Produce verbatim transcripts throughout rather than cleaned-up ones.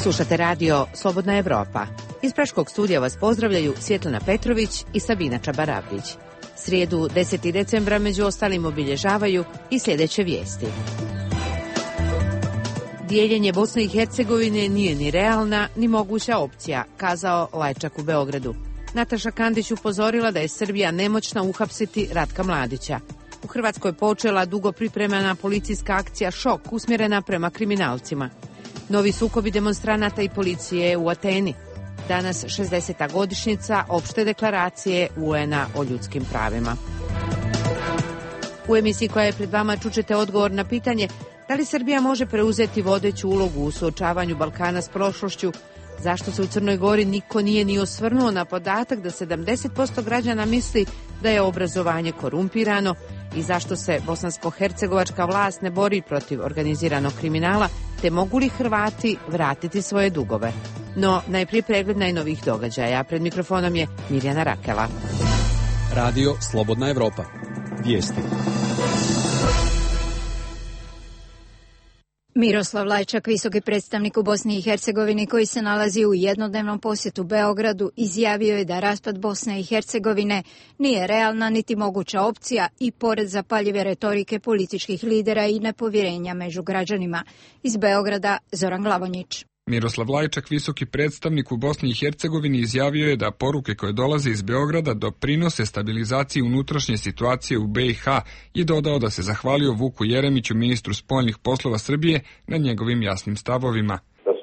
Slušate radio Slobodna Evropa. Iz Praškog studija vas pozdravljaju Svjetlana Petrović i Sabina Čabarapić. Srijedu desetog decembra među ostalim obilježavaju i sljedeće vijesti. Dijeljenje Bosne i Hercegovine nije ni realna, ni moguća opcija, kazao Lajčak u Beogradu. Nataša Kandić upozorila da je Srbija nemoćna uhapsiti Ratka Mladića. U Hrvatskoj počela dugo pripremana policijska akcija Šok usmjerena prema kriminalcima. Novi sukobi demonstranata i policije u Ateni. Danas šezdeseta godišnjica opšte deklaracije U N A o ljudskim pravima. U emisiji koja je pred vama čućete odgovor na pitanje da li Srbija može preuzeti vodeću ulogu u suočavanju Balkana s prošlošću, zašto se u Crnoj Gori niko nije ni osvrnuo na podatak da sedamdeset posto građana misli da je obrazovanje korumpirano i zašto se bosansko-hercegovačka vlast ne bori protiv organiziranog kriminala, te mogu li Hrvati vratiti svoje dugove. No, najprije pregled najnovijih događaja. Pred mikrofonom je Mirjana Rakela. Radio Slobodna Evropa. Vijesti. Miroslav Lajčak, visoki predstavnik u Bosni i Hercegovini koji se nalazi u jednodnevnom posjetu Beogradu, izjavio je da raspad Bosne i Hercegovine nije realna niti moguća opcija i pored zapaljive retorike političkih lidera i nepovjerenja među građanima. Iz Beograda Zoran Glavonjić. Miroslav Lajčak, visoki predstavnik u Bosni i Hercegovini, izjavio je da poruke koje dolaze iz Beograda doprinose stabilizaciji unutrašnje situacije u B i H i dodao da se zahvalio Vuku Jeremiću, ministru spoljnih poslova Srbije, na njegovim jasnim stavovima.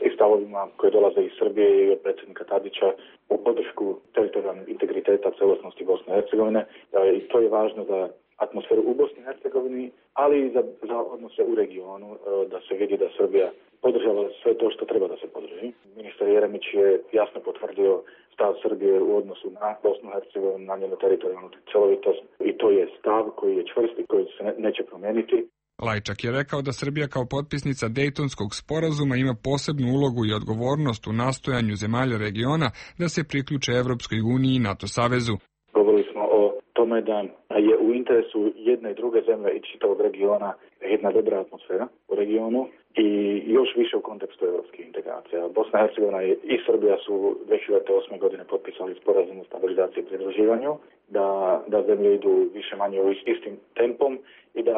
I stavovima koje dolaze iz Srbije i od predsjednika Tadića u podršku teritorijalnog integriteta celosnosti Bosne i Hercegovine. I to je važno za atmosferu u Bosni i Hercegovini, ali i za, za odnose u regionu, da se vidi da Srbija podržava sve to što treba da se podrži. Ministar Jeremić je jasno potvrdio stav Srbije u odnosu na Bosnu i Hercegovinu, na njenu teritorijalnu celovitost i to je stav koji je čvrst i koji se ne, neće promijeniti. Lajčak je rekao da Srbija kao potpisnica Dejtonskog sporazuma ima posebnu ulogu i odgovornost u nastojanju zemalja regiona da se priključe Evropskoj uniji i NATO savezu. Govorili smo o tome da je u interesu jedne i druge zemlje i čitavog regiona jedna dobra atmosfera u regionu i još više u kontekstu evropskih integracija. Bosna i Hercegovina i Srbija su dvije hiljade osme. godine potpisali sporazum o stabilizaciji i pridruživanju, da, da zemlje idu više manje u istim tempom i da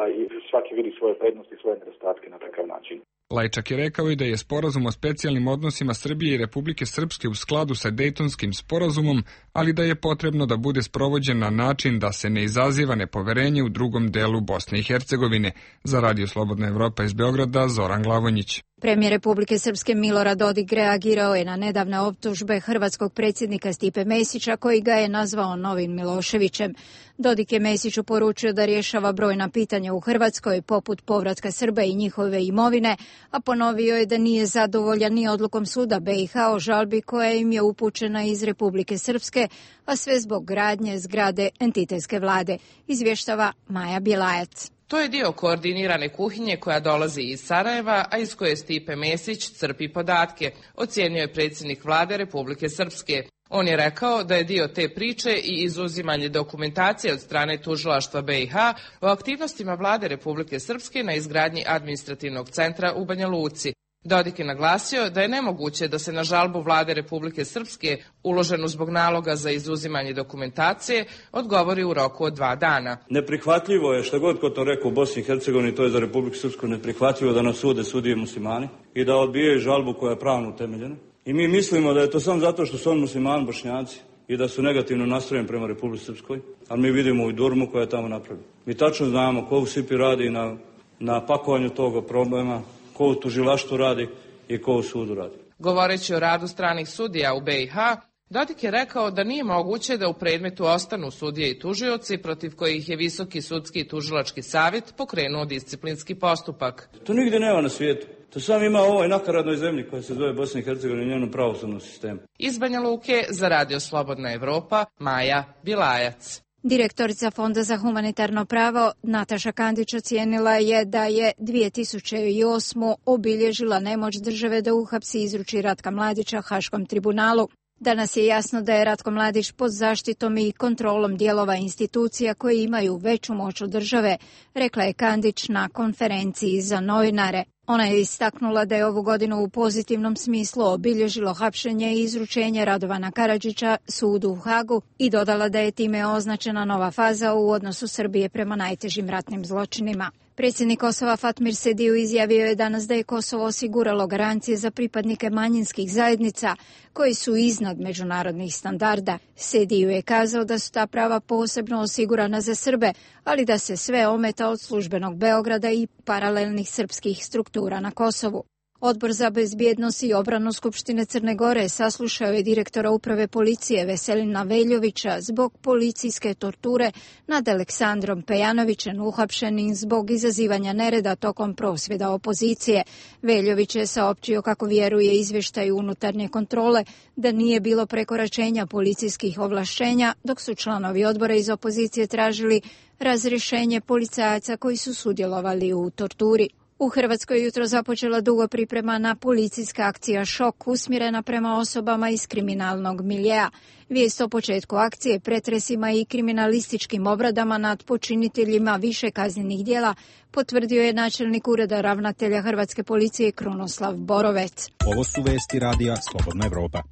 svaki vidi svoje prednosti i svoje nedostatke na takav način. Lajčak je rekao i da je sporazum o specijalnim odnosima Srbije i Republike Srpske u skladu sa Dejtonskim sporazumom, ali da je potrebno da bude sprovođen na način da se ne izaziva nepoverenje u drugom delu Bosne i Hercegovine. Za Radio Slobodna Evropa iz Beograda, Zoran Glavonjić. Premijer Republike Srpske Milorad Dodik reagirao je na nedavne optužbe hrvatskog predsjednika Stipe Mesića, koji ga je nazvao novim Miloševićem. Dodik je Mesiću poručio da rješava brojna pitanja u Hrvatskoj, poput povratka Srba i njihove imovine, a ponovio je da nije zadovoljan ni odlukom suda B i H o žalbi koja im je upućena iz Republike Srpske, a sve zbog gradnje zgrade entitetske vlade, izvještava Maja Bjelajac. To je dio koordinirane kuhinje koja dolazi iz Sarajeva, a iz koje Stipe Mesić crpi podatke, ocijenio je predsjednik vlade Republike Srpske. On je rekao da je dio te priče i izuzimanje dokumentacije od strane tužilaštva B i H o aktivnostima vlade Republike Srpske na izgradnji administrativnog centra u Banja Luci. Dodik je naglasio da je nemoguće da se na žalbu vlade Republike Srpske, uloženu zbog naloga za izuzimanje dokumentacije, odgovori u roku od dva dana. Neprihvatljivo je, šta god ko to rekao u Bosni i Hercegovini, to je za Republiku Srpsku neprihvatljivo da nas sude sudije muslimani i da odbijaju žalbu koja je pravno utemeljena. I mi mislimo da je to samo zato što su on muslimani Bošnjaci i da su negativno nastrojeni prema Republici Srpskoj, ali mi vidimo i Durmu koja je tamo napravljena. Mi tačno znamo ko u Sipi radi na, na pakovanju toga problema, ko u tužilaštvu radi i ko u sudu radi. Govoreći o radu stranih sudija u B i H, Dodik je rekao da nije moguće da u predmetu ostanu sudije i tužioci protiv kojih je Visoki sudski i tužilački savjet pokrenuo disciplinski postupak. To nigdje nema na svijetu. To sam ima u ovoj nakaradnoj zemlji koja se zove Bosna i Hercegovina i njenom pravosudnom sistemu. Iz Banja Luke za Radio Slobodna Evropa, Maja Bjelajac. Direktorica Fonda za humanitarno pravo Nataša Kandić ocijenila je da je dvije tisuće osme. obilježila nemoć države da uhapsi i izruči Ratka Mladića Haškom tribunalu. Danas je jasno da je Ratko Mladić pod zaštitom i kontrolom dijelova institucija koje imaju veću moć od države, rekla je Kandić na konferenciji za novinare. Ona je istaknula da je ovu godinu u pozitivnom smislu obilježilo hapšenje i izručenje Radovana Karadžića sudu u Hagu i dodala da je time označena nova faza u odnosu Srbije prema najtežim ratnim zločinima. Predsjednik Kosova Fatmir Sediju izjavio je danas da je Kosovo osiguralo garancije za pripadnike manjinskih zajednica koji su iznad međunarodnih standarda. Sediju je kazao da su ta prava posebno osigurana za Srbe, ali da se sve ometa od službenog Beograda i paralelnih srpskih struktura na Kosovu. Odbor za bezbjednost i obranu Skupštine Crne Gore saslušao je direktora uprave policije Veselina Veljovića zbog policijske torture nad Aleksandrom Pejanovićem, uhapšenim zbog izazivanja nereda tokom prosvjeda opozicije. Veljović je saopćio kako vjeruje izvještaju unutarnje kontrole da nije bilo prekoračenja policijskih ovlašćenja, dok su članovi odbora iz opozicije tražili razrješenje policajaca koji su sudjelovali u torturi. U Hrvatskoj jutro započela dugo priprema na policijska akcija Šok usmjerena prema osobama iz kriminalnog miljea. Vijest o početku akcije, pretresima i kriminalističkim obradama nad počiniteljima više kaznenih djela potvrdio je načelnik ureda ravnatelja Hrvatske policije Krunoslav Borovec. Ovo su vesti radija Slobodna Evropa.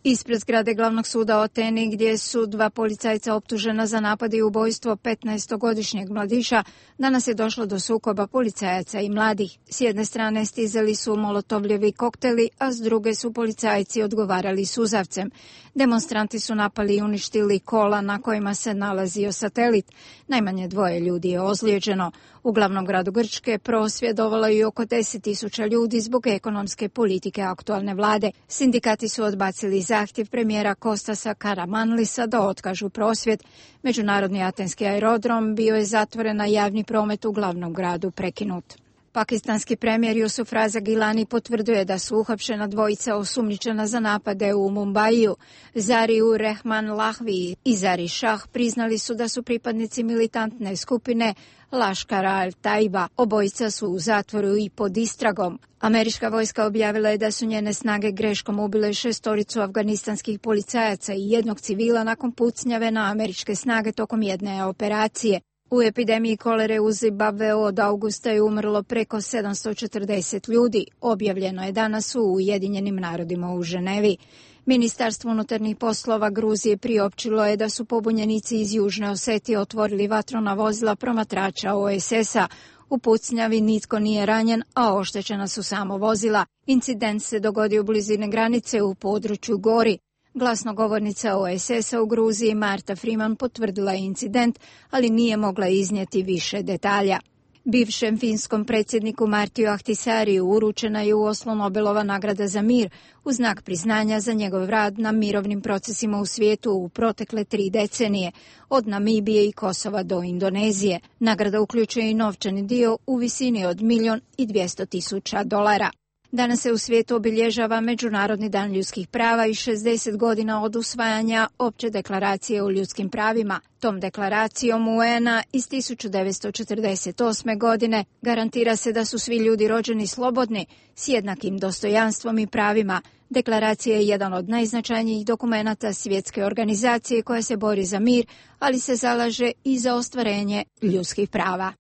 Ispred zgrade glavnog suda u Ateni, gdje su dva policajca optužena za napad i ubojstvo petnaestogodišnjeg mladića, danas je došlo do sukoba policajaca i mladih. S jedne strane stizali su molotovljevi kokteli, a s druge su policajci odgovarali suzavcem. Demonstranti su napali i uništili kola na kojima se nalazio satelit. Najmanje dvoje ljudi je ozlijeđeno. U glavnom gradu Grčke prosvjedovalo je oko deset tisuća ljudi zbog ekonomske politike aktualne vlade. Sindikati su odbacili zahtjev premijera Kostasa Karamanlisa da otkažu prosvjed. Međunarodni atenski aerodrom bio je zatvoren, a javni promet u glavnom gradu prekinut. Pakistanski premijer Jusuf Raza Gilani potvrdio je da su uhapšena dvojica osumnjičena za napade u Mumbaiju. Zariur Rehman Lahvi i Zari Shah priznali su da su pripadnici militantne skupine Laškara al-Taiba. Obojica su u zatvoru i pod istragom. Američka vojska objavila je da su njene snage greškom ubile šestoricu afganistanskih policajaca i jednog civila nakon pucnjave na američke snage tokom jedne operacije. U epidemiji kolere u Zimbabveu od augusta je umrlo preko sedamsto četrdeset ljudi, objavljeno je danas u Ujedinjenim narodima u Ženevi. Ministarstvo unutarnjih poslova Gruzije priopćilo je da su pobunjenici iz Južne Osetije otvorili vatru na vozila promatrača O S S-a. U pucnjavi nitko nije ranjen, a oštećena su samo vozila. Incident se dogodio u blizini granice u području Gori. Glasnogovornica O S S-a u Gruziji Marta Freeman potvrdila je incident, ali nije mogla iznijeti više detalja. Bivšem finskom predsjedniku Martiju Ahtisariju uručena je u Oslu Nobelova nagrada za mir u znak priznanja za njegov rad na mirovnim procesima u svijetu u protekle tri decenije, od Namibije i Kosova do Indonezije. Nagrada uključuje i novčani dio u visini od milijun i dvjesto tisuća dolara. Danas se u svijetu obilježava Međunarodni dan ljudskih prava i šezdeset godina od usvajanja Opće deklaracije o ljudskim pravima. Tom deklaracijom U N A iz tisuću devetsto četrdeset osme. godine garantira se da su svi ljudi rođeni slobodni, s jednakim dostojanstvom i pravima. Deklaracija je jedan od najznačajnijih dokumenata svjetske organizacije koja se bori za mir, ali se zalaže i za ostvarenje ljudskih prava.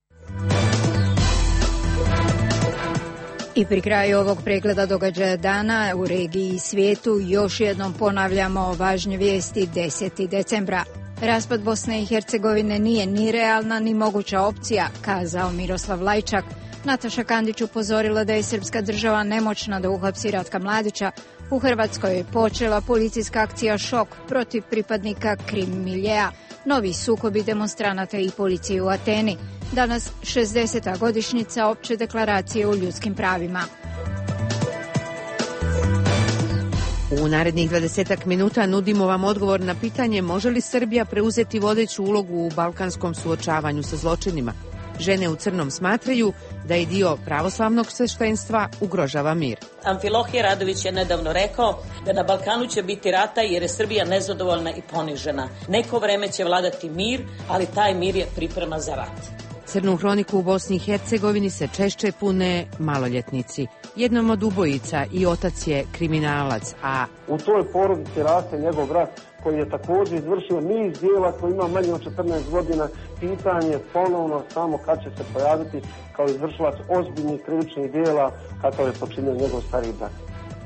I pri kraju ovog pregleda događaja dana u regiji i svijetu još jednom ponavljamo važne vijesti desetog decembra. Raspad Bosne i Hercegovine nije ni realna ni moguća opcija, kazao Miroslav Lajčak. Nataša Kandić upozorila da je srpska država nemoćna da uhapsi Ratka Mladića. U Hrvatskoj je počela policijska akcija Šok protiv pripadnika krim miljea. Novi sukobi demonstranata i policije u Ateni. Danas šezdeseta godišnjica Opće deklaracije o ljudskim pravima. U narednih dvadesetak minuta nudimo vam odgovor na pitanje može li Srbija preuzeti vodeću ulogu u balkanskom suočavanju sa zločinima. Žene u crnom smatraju da je dio pravoslavnog sveštenstva ugrožava mir. Amfilohije Radović je nedavno rekao da na Balkanu će biti rata jer je Srbija nezadovoljna i ponižena. Neko vreme će vladati mir, ali taj mir je priprema za rat. Crnu hroniku u Bosni i Hercegovini se češće pune maloljetnici. Jednom od ubojica i otac je kriminalac, a u toj porodici raste njegov brat koji je također izvršio niz djela, koji ima manje od četrnaest godina. Pitanje ponovno samo kad će se pojaviti kao izvršilac ozbiljnih krivičnih djela kakav je počinio njegov stariji brat.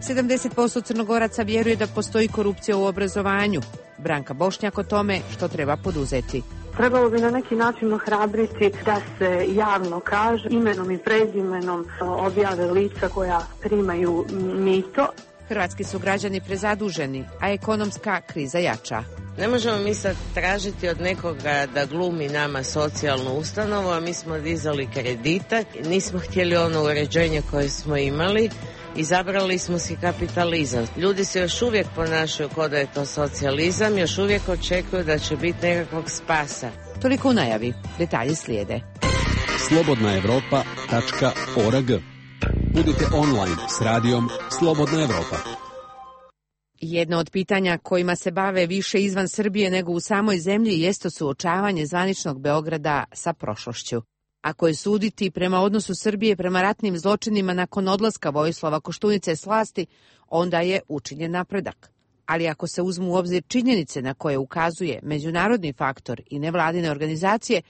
sedamdeset posto Crnogoraca vjeruje da postoji korupcija u obrazovanju. Branka Bošnjak o tome što treba poduzeti. Trebalo bi na neki način ohrabriti da se javno kaže, imenom i prezimenom objave lica koja primaju mito. Hrvatski su građani prezaduženi, a ekonomska kriza jača. Ne možemo mi sad tražiti od nekoga da glumi nama socijalnu ustanovu, a mi smo dizali kredite, nismo htjeli ono uređenje koje smo imali, izabrali smo si kapitalizam. Ljudi se još uvijek ponašaju kao da je to socijalizam, još uvijek očekuju da će biti nekakvog spasa. Toliko u najavi, detalji slijede. slobodna evropa tačka org. Budite online s radijom Slobodna Evropa. Jedno od pitanja kojima se bave više izvan Srbije nego u samoj zemlji jeste suočavanje zvaničnog Beograda sa prošlošću. Ako je suditi prema odnosu Srbije prema ratnim zločinima nakon odlaska Vojislava Koštunice s vlasti, onda je učinjen napredak. Ali ako se uzmu u obzir činjenice na koje ukazuje međunarodni faktor i nevladine organizacije,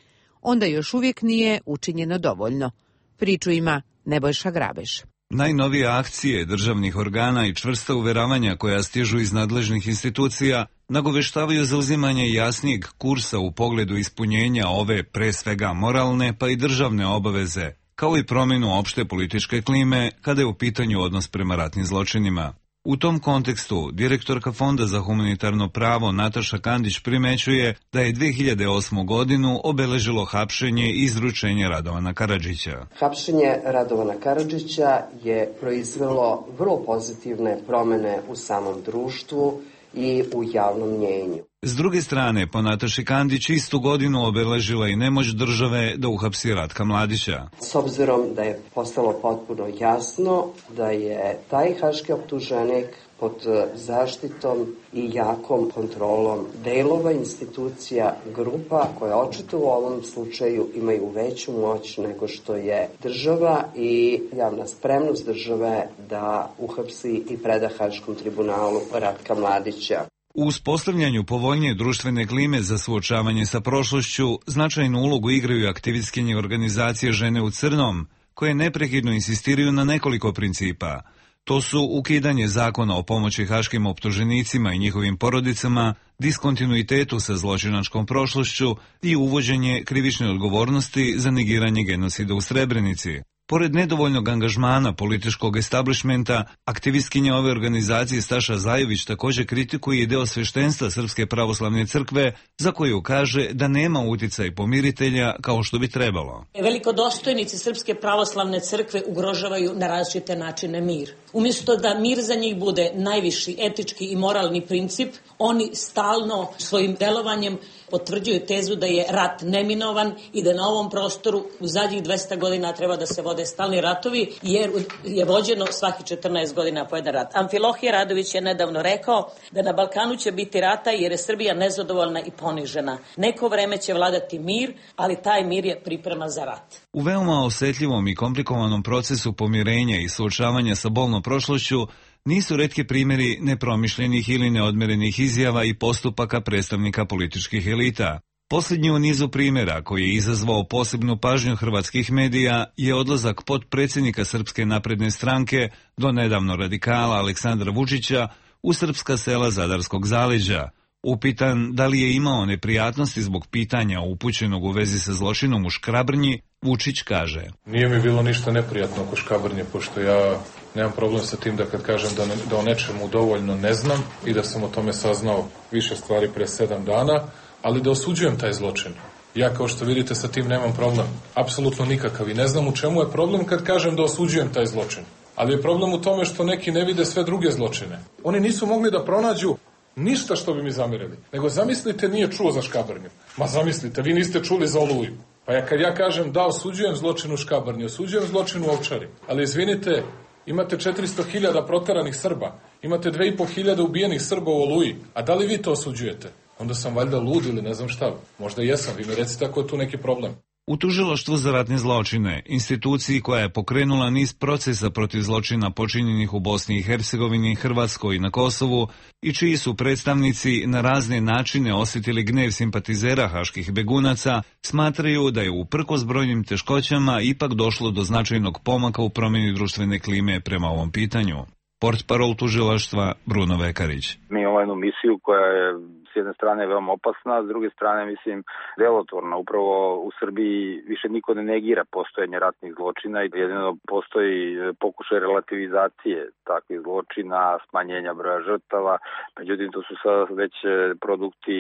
onda još uvijek nije učinjeno dovoljno. Priču ima Nebojša Grabež. Najnovije akcije državnih organa i čvrsta uveravanja koja stižu iz nadležnih institucija nagoveštavaju zauzimanje jasnijeg kursa u pogledu ispunjenja ove pre svega moralne pa i državne obaveze, kao i promjenu opšte političke klime kada je u pitanju odnos prema ratnim zločinima. U tom kontekstu, direktorka Fonda za humanitarno pravo Nataša Kandić primećuje da je dve hiljade osmu godinu obeležilo hapšenje i izručenje Radovana Karadžića. Hapšenje Radovana Karadžića je proizvelo vrlo pozitivne promjene u samom društvu i u javnom mnjenju. S druge strane, po Nataši Kandić istu godinu obeležila i nemoć države da uhapsi Ratka Mladića. S obzirom da je postalo potpuno jasno da je taj haški optuženik pod zaštitom i jakom kontrolom delova institucija, grupa koje očito u ovom slučaju imaju veću moć nego što je država i javna spremnost države da uhapsi i preda Haškom tribunalu Ratka Mladića. U uspostavljanju povoljnije društvene klime za suočavanje sa prošlošću značajnu ulogu igraju aktivistkinje organizacije Žene u crnom, koje neprekidno insistiraju na nekoliko principa. To su ukidanje zakona o pomoći haškim optuženicima i njihovim porodicama, diskontinuitetu sa zločinačkom prošlošću i uvođenje krivične odgovornosti za negiranje genocida u Srebrenici. Pored nedovoljnog angažmana političkog establishmenta, aktivistkinja ove organizacije Staša Zajović također kritikuje i deo sveštenstva Srpske pravoslavne crkve, za koju kaže da nema uticaj pomiritelja kao što bi trebalo. Velikodostojnici Srpske pravoslavne crkve ugrožavaju na različite načine mir. Umjesto da mir za njih bude najviši etički i moralni princip, oni stalno svojim delovanjem potvrđuju tezu da je rat neminovan i da na ovom prostoru u zadnjih dvesta godina treba da se vode stalni ratovi, jer je vođeno svaki četrnaest godina po jedan rat. Amfilohije Radović je nedavno rekao da na Balkanu će biti rata jer je Srbija nezadovoljna i ponižena. Neko vreme će vladati mir, ali taj mir je priprema za rat. U veoma osjetljivom i komplikovanom procesu pomirenja i suočavanja sa bolnom prošlošću nisu retki primjeri nepromišljenih ili neodmerenih izjava i postupaka predstavnika političkih elita. Posljednji u nizu primjera koji je izazvao posebnu pažnju hrvatskih medija je odlazak potpredsjednika Srpske napredne stranke, do nedavno radikala Aleksandra Vučića, u srpska sela Zadarskog zaleđa. Upitan da li je imao neprijatnosti zbog pitanja upućenog u vezi sa zločinom u Škrabrnji, Vučić kaže: Nije mi bilo ništa neprijatno oko Škabrnje, pošto ja nemam problem sa tim da kad kažem da, ne, da o nečemu dovoljno ne znam i da sam o tome saznao više stvari pre sedam dana, ali da osuđujem taj zločin. Ja, kao što vidite, sa tim nemam problem. Apsolutno nikakav i ne znam u čemu je problem kad kažem da osuđujem taj zločin. Ali je problem u tome što neki ne vide sve druge zločine. Oni nisu mogli da pronađu ništa što bi mi zamirili. Nego zamislite, nije čuo za Škabrnju. Ma zamislite, vi niste čuli za Oluju. Pa ja kad ja kažem da osuđujem zločin u Škabrnji, osuđujem zločin u Ovčari. Ali izvinite, imate četiristo hiljada proteranih Srba, imate dve i po hiljade ubijenih Srba u Oluji. A da li vi to osuđujete? Onda sam valjda lud ili ne znam šta. Možda jesam, vi mi recite ako je tu neki problem. U tužilaštvu za ratne zločine, instituciji koja je pokrenula niz procesa protiv zločina počinjenih u Bosni i Hercegovini, Hrvatskoj i na Kosovu i čiji su predstavnici na razne načine osjetili gnev simpatizera haških begunaca, smatraju da je uprkos brojnim teškoćama ipak došlo do značajnog pomaka u promjeni društvene klime prema ovom pitanju. Portparol tužilaštva Bruno Vekarić. Mi imamo jednu misiju koja je s jedne strane veoma opasna, a s druge strane mislim delotvorna. Upravo u Srbiji više niko ne negira postojanje ratnih zločina i jedino postoji pokušaj relativizacije takvih zločina, smanjenja broja žrtava. Međutim, to su sad već produkti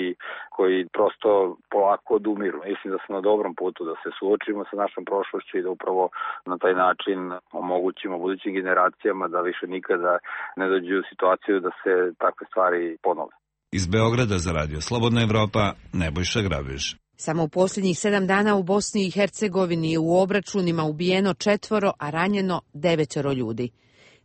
koji prosto polako odumiru. Mislim da smo na dobrom putu da se suočimo sa našom prošlošću i da upravo na taj način omogućimo budućim generacijama da više nikada ne dođu u situaciju da se takve stvari ponove. Iz Beograda za Radio Slobodna Evropa, Nebojša Grabiš. Samo u posljednjih sedam dana u Bosni i Hercegovini je u obračunima ubijeno četvoro, a ranjeno devetero ljudi.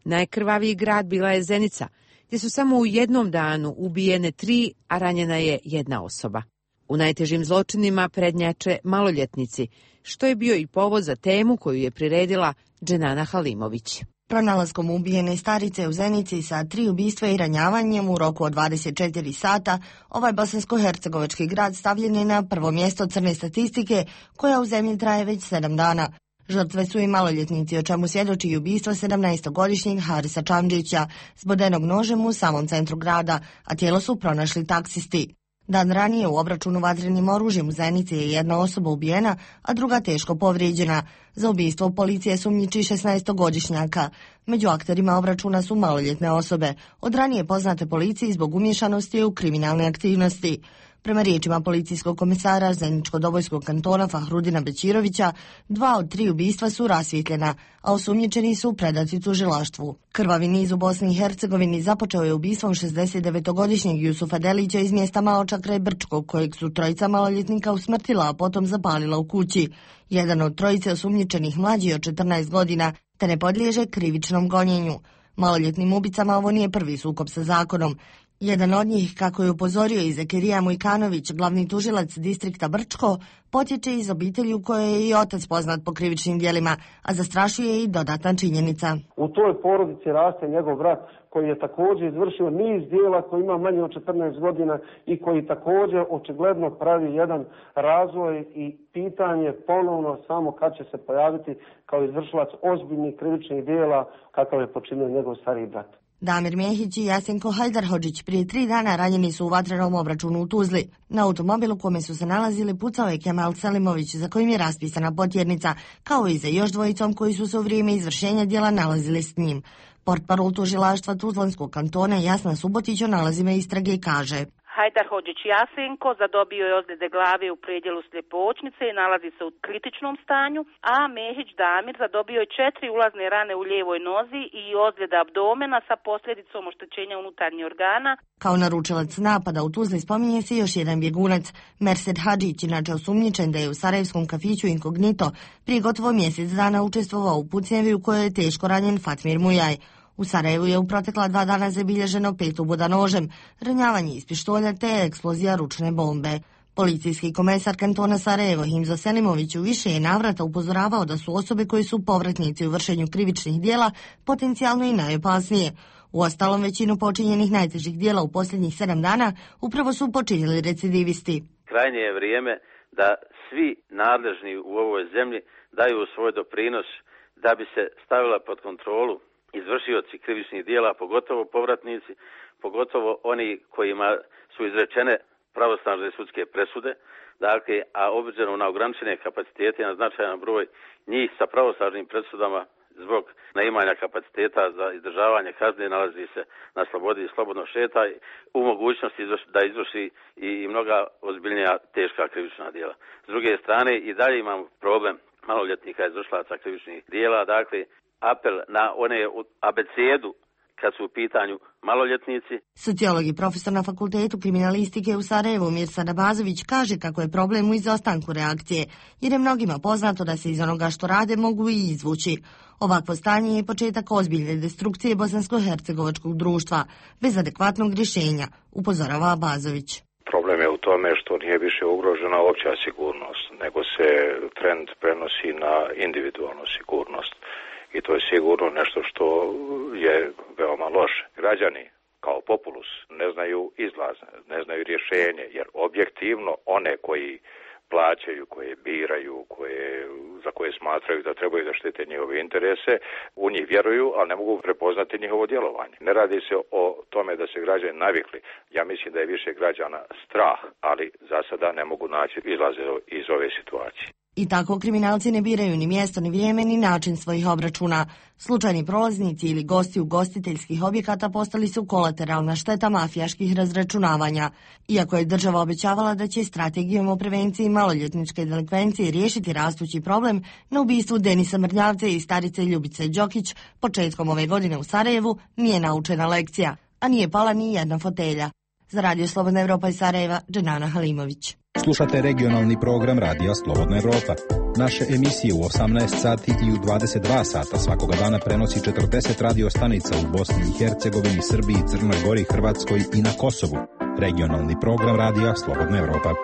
Najkrvaviji grad bila je Zenica, gdje su samo u jednom danu ubijene tri, a ranjena je jedna osoba. U najtežim zločinima prednjače maloljetnici, što je bio i povod za temu koju je priredila Dženana Halimović. Pronalaskom ubijene starice u Zenici sa tri ubistva i ranjavanjem u roku od dvadeset četiri sata, ovaj bosansko-hercegovački grad stavljen je na prvo mjesto crne statistike koja u zemlji traje već sedam dana. Žrtve su i maloljetnici, o čemu svjedoči i ubistvo sedamnaestogodišnjeg Harisa Čamđića, zbodenog nožem u samom centru grada, a tijelo su pronašli taksisti. Dan ranije u obračunu vatrenim oružjem u Zenici je jedna osoba ubijena, a druga teško povrijeđena. Za ubistvo policije sumnjiči šesnaestogodišnjaka. Među akterima obračuna su maloljetne osobe, od ranije poznate policiji zbog umješanosti u kriminalne aktivnosti. Prema riječima policijskog komisara Zeničko-Dobojskog kantona Fahrudina Bećirovića, dva od tri ubistva su rasvjetljena, a osumnjičeni su predati tužilaštvu. Krvavi niz u Bosni i Hercegovini započeo je ubistvom šezdesetdevetogodišnjeg Jusufa Delića iz mjesta Maloča kraj Brčkog, kojeg su trojica maloljetnika usmrtila, a potom zapalila u kući. Jedan od trojice osumnjičenih mlađi od četrnaest godina, te ne podliježe krivičnom gonjenju. Maloljetnim ubicama ovo nije prvi sukob sa zakonom. Jedan od njih, kako je upozorio i Zekirija Mujkanović, glavni tužilac distrikta Brčko, potječe iz obitelji u kojoj je i otac poznat po krivičnim djelima, a zastrašuje i dodatna činjenica. U toj porodici raste njegov brat koji je također izvršio niz djela, koji ima manje od četrnaest godina i koji također očigledno pravi jedan razvoj i pitanje ponovno samo kad će se pojaviti kao izvršilac ozbiljnih krivičnih djela kakav je počinio njegov stariji brat. Damir Mjehić i Jasenko Hajdarhodžić prije tri dana ranjeni su u vatrenom obračunu u Tuzli. Na automobilu kome su se nalazili pucao je Kemal Selimović, za kojim je raspisana potjernica, kao i za još dvojicom koji su se u vrijeme izvršenja djela nalazili s njim. Portparol tužilaštva Tuzlanskog kantona Jasna Subotić o nalazima istrage kaže: Hajdarhodžić Jasenko zadobio je ozljede glave u predjelu sljepočnice i nalazi se u kritičnom stanju, a Mehić Damir zadobio je četiri ulazne rane u lijevoj nozi i ozljede abdomena sa posljedicom oštećenja unutarnjih organa. Kao naručilac napada u Tuzli spominje se još jedan bjegunac, Mersed Hadžić, inače osumnjičen da je u sarajevskom kafiću Inkognito prije gotovo mjesec dana učestvovao u pucnjevi u kojoj je teško ranjen Fatmir Mujaj. U Sarajevu je u protekla dva dana zabilježeno pet uboda nožem, ranjavanje iz pištolja te eksplozija ručne bombe. Policijski komesar kantona Sarajevo Himzo Selimović u više je navrata upozoravao da su osobe koji su povratnici u vršenju krivičnih djela potencijalno i najopasnije. Uostalom, većinu počinjenih najtežih djela u posljednjih sedam dana upravo su počinili recidivisti. Krajnje je vrijeme da svi nadležni u ovoj zemlji daju svoj doprinos da bi se stavila pod kontrolu izvršioci krivičnih dijela, pogotovo povratnici, pogotovo oni kojima su izrečene pravosnažne sudske presude, dakle, a obzirom na ograničene kapacitete i na značajan broj njih sa pravosnažnim presudama zbog neimanja kapaciteta za izdržavanje kazne nalazi se na slobodi i slobodno šeta u mogućnosti da izvrši i mnoga ozbiljnija teška krivična djela. S druge strane i dalje imamo problem maloljetnika izvršilaca krivičnih djela, dakle, apel na one abecedu kad su u pitanju maloljetnici. Sociolog i profesor na Fakultetu kriminalistike u Sarajevu Mirsad Abazović kaže kako je problem u izostanku reakcije, jer je mnogima poznato da se iz onoga što rade mogu i izvući. Ovakvo stanje je početak ozbiljne destrukcije bosansko-hercegovačkog društva, bez adekvatnog rješenja, upozorava Abazović. Problem je u tome što nije više ugrožena opća sigurnost, nego se trend prenosi na individualnu sigurnost. I to je sigurno nešto što je veoma loše. Građani kao populus ne znaju izlaz, ne znaju rješenje, jer objektivno one koji plaćaju, koje biraju, koje, za koje smatraju da trebaju da štite njihove interese, u njih vjeruju, ali ne mogu prepoznati njihovo djelovanje. Ne radi se o tome da se građani navikli. Ja mislim da je više građana strah, ali za sada ne mogu naći izlaze iz ove situacije. I tako kriminalci ne biraju ni mjesto, ni vrijeme, ni način svojih obračuna. Slučajni prolaznici ili gosti ugostiteljskih objekata postali su kolateralna šteta mafijaških razračunavanja. Iako je država obećavala da će strategijom o prevenciji maloljetničke delikvencije riješiti rastući problem, na ubistvu Denisa Mrljavce i starice Ljubice Đokić početkom ove godine u Sarajevu nije naučena lekcija, a nije pala ni jedna fotelja. Za Radio Slobodna Evropa iz Sarajeva, Dženana Halimović. Slušate regionalni program Radija Slobodna Evropa. Naše emisije u osamnaest sati i u dvadeset dva sata svakoga dana prenosi četrdeset radio stanica u Bosni i Hercegovini, Srbiji, Crnoj Gori, Hrvatskoj i na Kosovu. Regionalni program Radija Slobodna Evropa.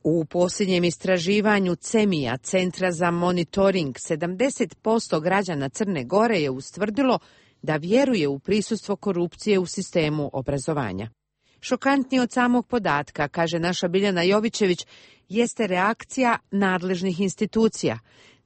U posljednjem istraživanju CEMIA, Centra za monitoring, sedamdeset posto građana Crne Gore je ustvrdilo da vjeruje u prisustvo korupcije u sistemu obrazovanja. Šokantnije od samog podatka, kaže naša Biljana Jovićević, jeste reakcija nadležnih institucija.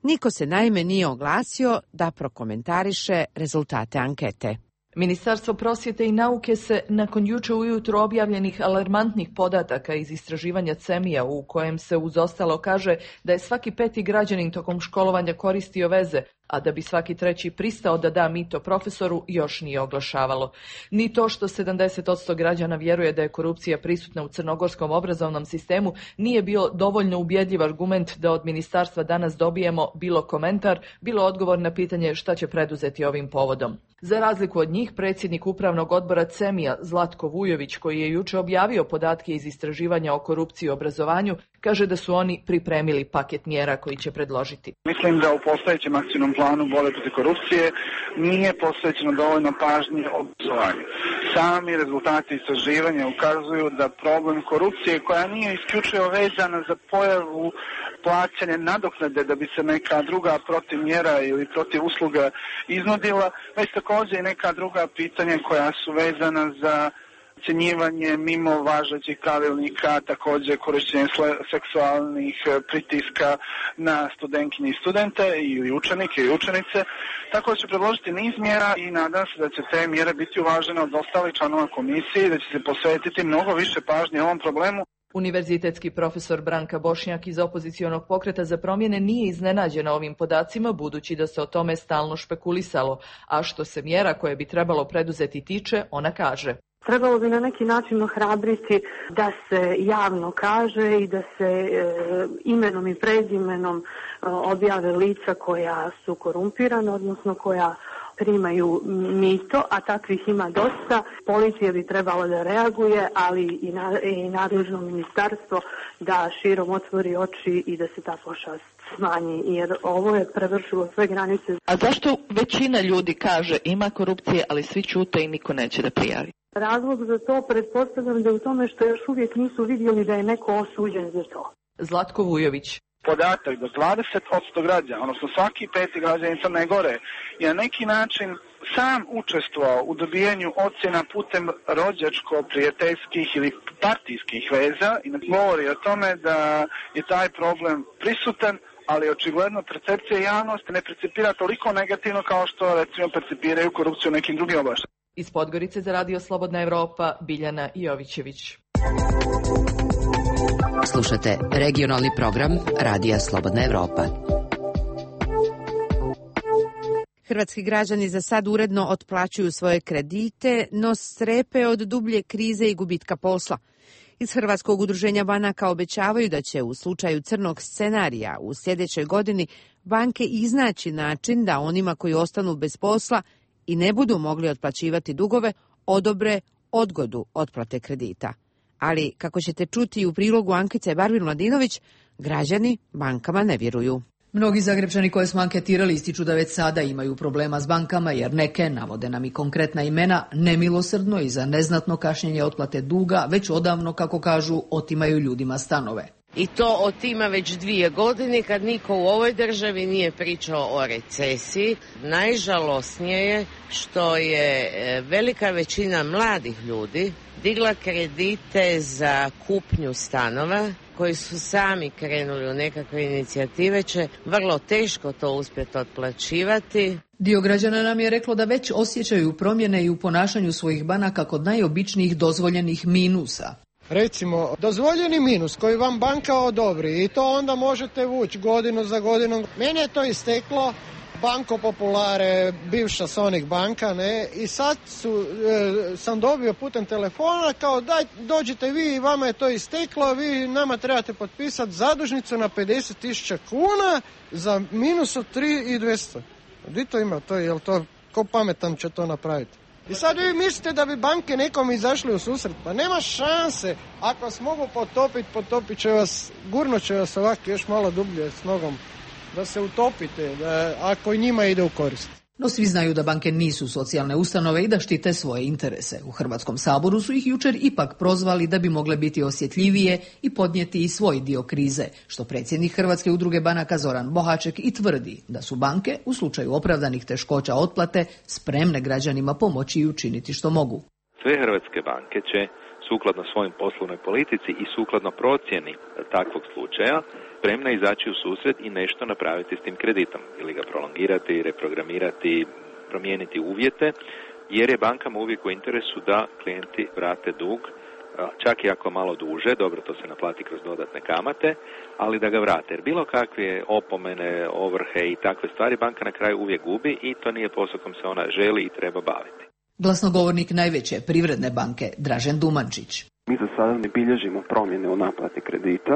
Niko se naime nije oglasio da prokomentariše rezultate ankete. Ministarstvo prosvjete i nauke se, nakon juče ujutro objavljenih alarmantnih podataka iz istraživanja CEMIA, u kojem se uz ostalo kaže da je svaki peti građanin tokom školovanja koristio veze, a da bi svaki treći pristao da da mito profesoru, još nije oglašavalo. Ni to što sedamdeset posto građana vjeruje da je korupcija prisutna u crnogorskom obrazovnom sistemu nije bio dovoljno ubjedljiv argument da od ministarstva danas dobijemo bilo komentar, bilo odgovor na pitanje šta će preduzeti ovim povodom. Za razliku od njih, predsjednik upravnog odbora CEMIA Zlatko Vujović, koji je juče objavio podatke iz istraživanja o korupciji u obrazovanju, kaže da su oni pripremili paket mjera koji će predložiti. Mislim da u postojećem akcijnom planu borbe protiv korupcije nije posvećeno dovoljno pažnje obrazovanju. Sami rezultati istraživanja ukazuju da problem korupcije, koja nije isključivo vezana za pojavu plaćanja nadoknade da bi se neka druga protiv mjera ili protiv usluga iznudila, već također i neka druga pitanja koja su vezana za ocjenjivanje mimo važećih pravilnika, također korištenje seksualnih pritiska na studentkinje i studente ili učenike i učenice. Tako da će predložiti niz mjera i nadam se da će te mjere biti uvažene od ostalih članova komisije i da će se posvetiti mnogo više pažnje ovom problemu. Univerzitetski profesor Branka Bošnjak iz opozicionog pokreta za promjene nije iznenađena ovim podacima, budući da se o tome stalno špekulisalo, a što se mjera koje bi trebalo preduzeti tiče, ona kaže. Trebalo bi na neki način ohrabriti da se javno kaže i da se e, imenom i prezimenom e, objave lica koja su korumpirana, odnosno koja primaju mito, a takvih ima dosta. Policija bi trebala da reaguje, ali i, na, i nadležno ministarstvo da širom otvori oči i da se ta pošast smanji, jer ovo je prevršilo sve granice. A zašto većina ljudi kaže ima korupcije, ali svi ćute i niko neće da prijavi? Razlog za to pretpostavljam da je u tome što još uvijek nisu vidjeli da je neko osuđen za to. Zlatko Vujović. Podatak da dvadeset posto građana, odnosno svaki peti građanin Crne Gore, je na neki način sam učestvovao u dobijanju ocjena putem rođačko-prijateljskih ili partijskih veza i govori o tome da je taj problem prisutan, ali očigledno percepcija javnosti ne percipira toliko negativno kao što recimo percipiraju korupciju u nekim drugim oblastima. Iz Podgorice za Radio Slobodna Evropa, Biljana Jovićević. Slušate regionalni program Radija Slobodna Evropa. Hrvatski građani za sad uredno otplaćuju svoje kredite, no strepe od dublje krize i gubitka posla. Iz Hrvatskog udruženja banaka obećavaju da će u slučaju crnog scenarija u sljedećoj godini banke iznaći način da onima koji ostanu bez posla i ne budu mogli otplaćivati dugove odobre odgodu otplate kredita. Ali, kako ćete čuti u prilogu Ankice Barbir Mladinović, građani bankama ne vjeruju. Mnogi Zagrebčani koje smo anketirali ističu da već sada imaju problema s bankama jer neke, navode nam i konkretna imena, nemilosrdno i za neznatno kašnjenje otplate duga već odavno, kako kažu, otimaju ljudima stanove. I to otima već dvije godine kad niko u ovoj državi nije pričao o recesiji. Najžalosnije je što je velika većina mladih ljudi digla kredite za kupnju stanova koji su sami krenuli u nekakve inicijative, će vrlo teško to uspjeti otplaćivati. Dio građana nam je reklo da već osjećaju promjene i u ponašanju svojih banaka kod najobičnijih dozvoljenih minusa. Recimo, dozvoljeni minus koji vam banka odobri i to onda možete vući godinu za godinom. Meni je to isteklo, Banco Populare, bivša Sonic banka, ne, i sad su, e, sam dobio putem telefona kao daj, dođite vi i vama je to isteklo, vi nama trebate potpisati zadužnicu na pedeset tisuća kuna za minus od tri tisuće dvjesto. Gdje to ima? To, jel to, ko pametan će to napraviti? I sad vi mislite da bi banke nekom izašli u susret? Pa nema šanse. Ako vas mogu potopiti, potopit će vas, gurnut će vas ovako još malo dublje s nogom. Da se utopite, da, ako i njima ide u korist. No svi znaju da banke nisu socijalne ustanove i da štite svoje interese. U Hrvatskom saboru su ih jučer ipak prozvali da bi mogle biti osjetljivije i podnijeti i svoj dio krize, što predsjednik Hrvatske udruge banaka Zoran Bohaček i tvrdi da su banke u slučaju opravdanih teškoća otplate spremne građanima pomoći i učiniti što mogu. Sve hrvatske banke će sukladno svojim poslovnoj politici i sukladno procjeni takvog slučaja spremna izaći u susret i nešto napraviti s tim kreditom ili ga prolongirati, reprogramirati, promijeniti uvjete, jer je bankama uvijek u interesu da klijenti vrate dug, čak i ako malo duže, dobro to se naplati kroz dodatne kamate, ali da ga vrate. Jer bilo kakve opomene, ovrhe i takve stvari banka na kraju uvijek gubi i to nije posao kom se ona želi i treba baviti. Glasnogovornik najveće Privredne banke Dražen Dumančić. Mi za sada ne bilježimo promjene u naplati kredita.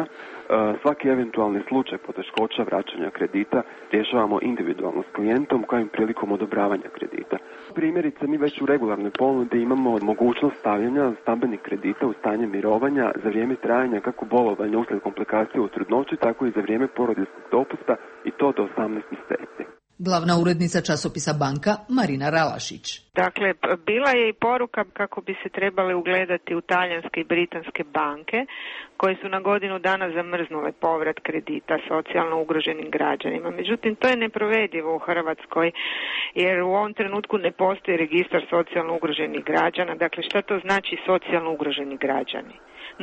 Svaki eventualni slučaj poteškoća vraćanja kredita rješavamo individualno s klijentom kojim prilikom odobravanja kredita. Primjerice, mi već u regularnoj ponudi imamo mogućnost stavljanja stambenih kredita u stanje mirovanja za vrijeme trajanja kako bolovanja uslijed komplikacije u trudnoći, tako i za vrijeme porodiljskog dopusta i to do osamnaest mjeseci. Glavna urednica časopisa Banka Marina Ralašić. Dakle, bila je i poruka kako bi se trebale ugledati u talijanske i britanske banke koje su na godinu dana zamrznule povrat kredita socijalno ugroženim građanima. Međutim, to je neprovedivo u Hrvatskoj jer u ovom trenutku ne postoji registar socijalno ugroženih građana. Dakle, šta to znači socijalno ugroženi građani?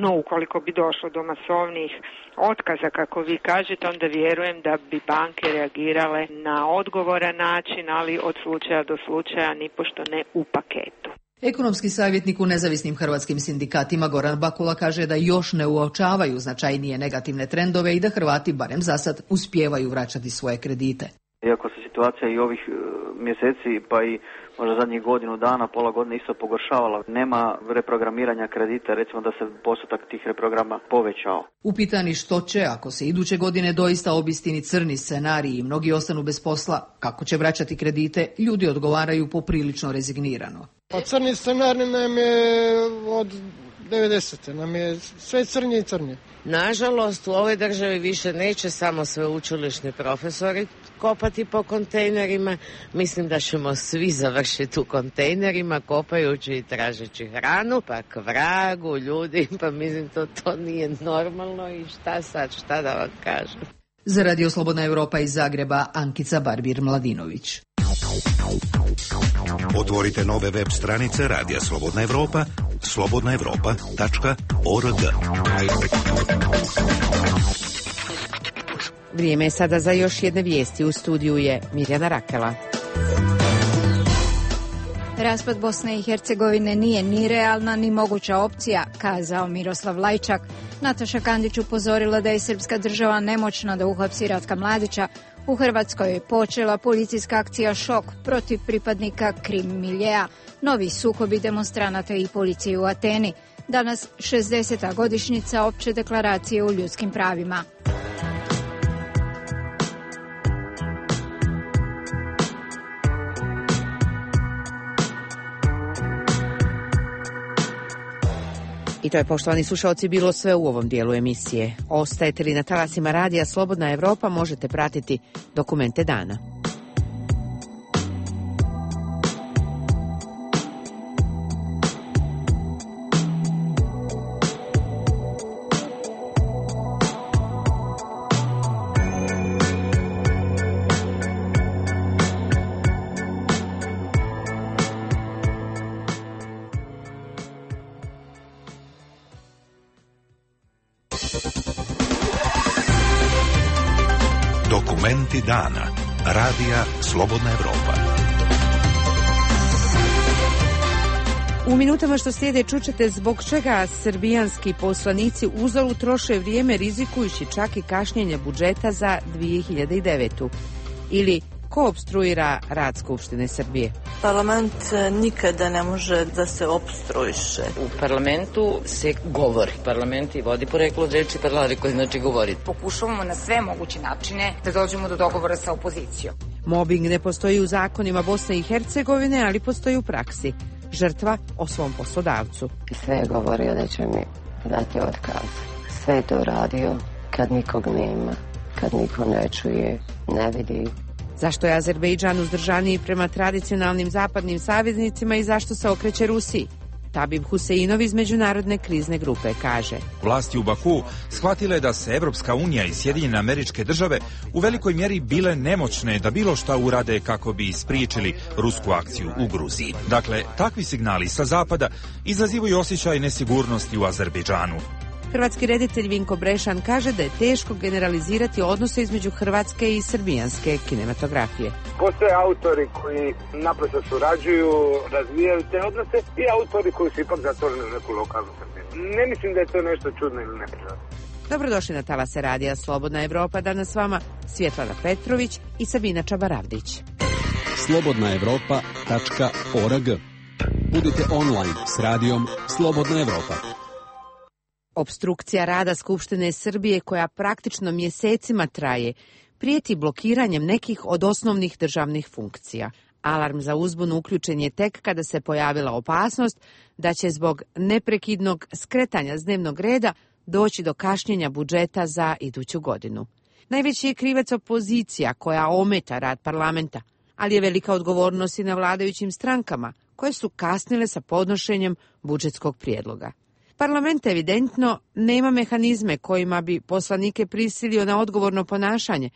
No, ukoliko bi došlo do masovnih otkaza, kako vi kažete, onda vjerujem da bi banke reagirale na odgovoran način, ali od slučaja do slučaja nipošto ne u paketu. Ekonomski savjetnik u nezavisnim hrvatskim sindikatima Goran Bakula kaže da još ne uočavaju značajnije negativne trendove i da Hrvati, barem zasad, uspijevaju vraćati svoje kredite. Iako se situacija i ovih mjeseci pa i možda zadnjih godinu dana, pola godine isto pogoršavala, nema reprogramiranja kredita, recimo da se postotak tih reprograma povećao. Upitani što će, ako se iduće godine doista obistini crni scenariji i mnogi ostanu bez posla, kako će vraćati kredite, ljudi odgovaraju poprilično rezignirano. Pa crni scenarij nam je od devedesete, nam je sve crnje i crnje. Nažalost, u ovoj državi više neće samo sveučilišni profesori kopati po kontejnerima. Mislim da ćemo svi završiti u kontejnerima kopajući i tražeći hranu, pa k vragu ljudi, pa mislim to, to nije normalno i šta sad, šta da vam kažem. Za Radio Slobodna Europa iz Zagreba, Ankica Barbir-Mladinović. Otvorite nove web stranice Radija Slobodna Europa, slobodna europa tačka org. Vrijeme je sada za još jedne vijesti. U studiju je Mirjana Rakela. Raspad Bosne i Hercegovine nije ni realna ni moguća opcija, kazao Miroslav Lajčak. Nataša Kandić upozorila da je srpska država nemoćna da uhapsi Ratka Mladića. U Hrvatskoj je počela policijska akcija Šok protiv pripadnika Krim miljea, novi sukobi demonstranata i policije u Ateni. Danas šezdeseta godišnjica opće deklaracije o ljudskim pravima. I to je, poštovani slušalci, bilo sve u ovom dijelu emisije. Ostajete li na talasima radija Slobodna Evropa, možete pratiti dokumente dana. Dokumenti dana. Radija Slobodna Evropa. U minutama što slijede čućete zbog čega srbijanski poslanici uzalud troše vrijeme rizikujući čak i kašnjenje budžeta za dvije hiljade devetu. Ili ko opstruira rad Skupštine Srbije? Parlament nikada ne može da se opstruiše. U parlamentu se govori. Parlament i vodi poreklo od reči parlare koji znači govori. Pokušavamo na sve moguće načine da dođemo do dogovora sa opozicijom. Mobbing ne postoji u zakonima Bosne i Hercegovine, ali postoji u praksi. Žrtva o svom poslodavcu. Sve je govorio da će mi dati otkaz. Sve je to radio kad nikog nema, kad niko ne čuje, ne vidi. Zašto je Azerbejdžan uzdržaniji prema tradicionalnim zapadnim saveznicima i zašto se okreće Rusiji? Tabib Huseinov iz Međunarodne krizne grupe kaže: Vlasti u Baku shvatile da se Evropska unija i Sjedinjene Američke Države u velikoj mjeri bile nemoćne da bilo šta urade kako bi ispriječili rusku akciju u Gruziji. Dakle, takvi signali sa zapada izazivaju osjećaj nesigurnosti u Azerbejdžanu. Hrvatski reditelj Vinko Brešan kaže da je teško generalizirati odnose između hrvatske i srbijanske kinematografije. Postoje autori koji naprosto surađuju, razvijaju te odnose i autori koji su ipak zatvoreni u neku lokalnu sredinu. Ne mislim da je to nešto čudno ili neprirodno. Dobrodošli na talase radija Slobodna Evropa. Danas s vama Svjetlana Petrović i Sabina Čabaravdić. slobodna evropa tačka org. Budite online s radijom Slobodna Evropa. Obstrukcija rada Skupštine Srbije, koja praktično mjesecima traje, prijeti blokiranjem nekih od osnovnih državnih funkcija. Alarm za uzbunu uključen je tek kada se pojavila opasnost da će zbog neprekidnog skretanja s dnevnog reda doći do kašnjenja budžeta za iduću godinu. Najveći je krivac opozicija koja ometa rad parlamenta, ali je velika odgovornost i na vladajućim strankama koje su kasnile sa podnošenjem budžetskog prijedloga. Parlament evidentno nema mehanizme kojima bi poslanike prisilio na odgovorno ponašanje,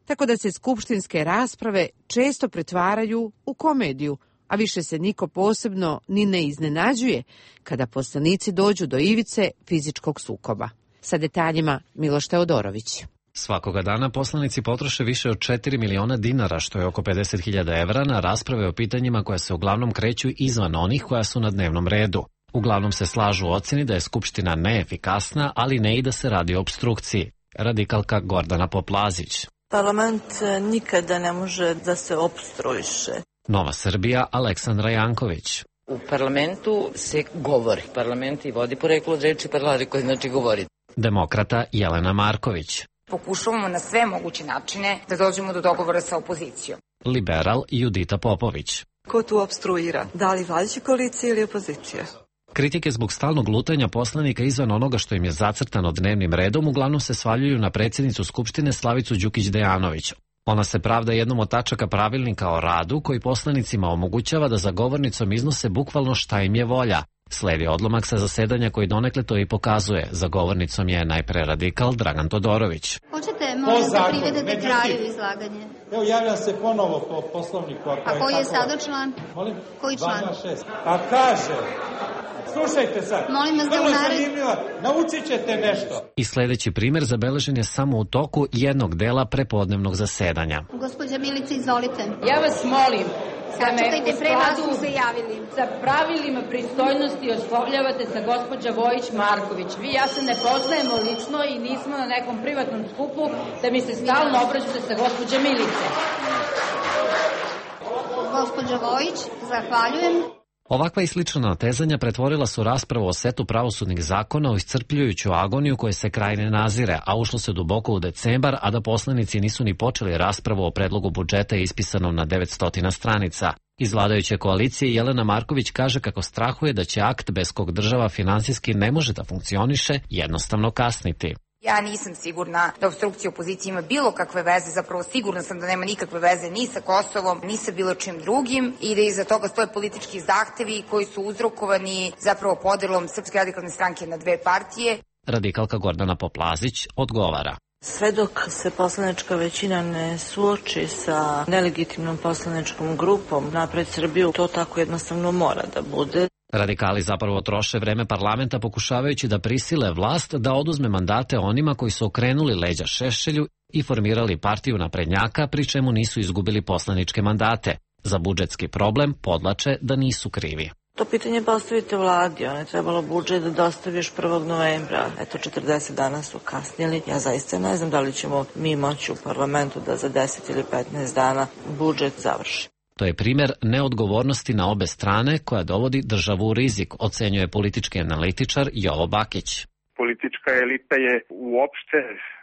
tako da se skupštinske rasprave često pretvaraju u komediju, a više se niko posebno ni ne iznenađuje kada poslanici dođu do ivice fizičkog sukoba. Sa detaljima Miloš Teodorović. Svakoga dana poslanici potroše više od četiri miliona dinara, što je oko pedeset hiljada evra, na rasprave o pitanjima koja se uglavnom kreću izvan onih koja su na dnevnom redu. Uglavnom se slažu u ocjeni da je Skupština neefikasna, ali ne i da se radi o opstrukciji. Radikalka Gordana Poplazić. Parlament nikada ne može da se opstruiše. Nova Srbija, Aleksandra Janković. U parlamentu se govori. Parlament i vodi poreklo od reči parlare koji znači govori. Demokrata Jelena Marković. Pokušavamo na sve moguće načine da dođemo do dogovora sa opozicijom. Liberal Judita Popović. Ko tu opstruira? Da li vladajuća koalicija ili opozicija? Kritike zbog stalnog lutanja poslanika izvan onoga što im je zacrtano dnevnim redom uglavnom se svaljuju na predsjednicu Skupštine Slavicu Đukić-Dejanović. Ona se pravda jednom od tačaka pravilnika o radu koji poslanicima omogućava da za govornicom iznose bukvalno šta im je volja. Sledi odlomak sa zasedanja koji donekle to i pokazuje. Za govornicom je najpre radikal Dragan Todorović. Hoćete molim da privedete kraju izlaganje? Evo javljam se ponovo po poslovniku. A koji je sada član? Molim? Koji član? A kaže... Slušajte sad, molim vas da vrlo unared... zanimljivo, naučit ćete nešto. I sljedeći primjer zabeležen je samo u toku jednog dela prepodnevnog zasedanja. Gospođa Milica, izvolite. Ja vas molim da me Sačekajte, u pre vas skladu su se javili. sa pravilima pristojnosti oslovljavate sa gospođa Vojić-Marković. Vi ja se ne poznajemo lično i nismo na nekom privatnom skupu da mi se stalno obraćate sa gospođa Milice. Gospođa Vojić, zahvaljujem. Ovakva i slična natezanja pretvorila su raspravu o setu pravosudnih zakona u iscrpljujuću agoniju koje se kraj ne nazire, a ušlo se duboko u decembar, a da poslanici nisu ni počeli raspravu o predlogu budžeta ispisanom na devetsto stranica. Iz vladajuće koalicije Jelena Marković kaže kako strahuje da će akt bez kog država finansijski ne može da funkcioniše jednostavno kasniti. Ja nisam sigurna da obstrukcija opozicije ima bilo kakve veze, zapravo sigurna sam da nema nikakve veze ni sa Kosovom, ni sa bilo čim drugim i da iza toga stoje politički zahtevi koji su uzrokovani zapravo podelom Srpske radikalne stranke na dve partije. Radikalka Gordana Poplazić odgovara. Sve dok se poslanička većina ne suoči sa nelegitimnom poslaničkom grupom Napred Srbiju, to tako jednostavno mora da bude. Radikali zapravo troše vreme parlamenta pokušavajući da prisile vlast da oduzme mandate onima koji su okrenuli leđa Šešelju i formirali partiju naprednjaka, pri čemu nisu izgubili poslaničke mandate. Za budžetski problem podlače da nisu krivi. To pitanje postavite vladi, ona je trebalo budžet da dostaviš prvog novembra. Eto, četrdeset dana su kasnili. Ja zaista ne znam da li ćemo mi moći u parlamentu da za deset ili petnaest dana budžet završi. To je primjer neodgovornosti na obe strane koja dovodi državu u rizik, ocenjuje politički analitičar Jovo Bakić. Politička elita je uopšte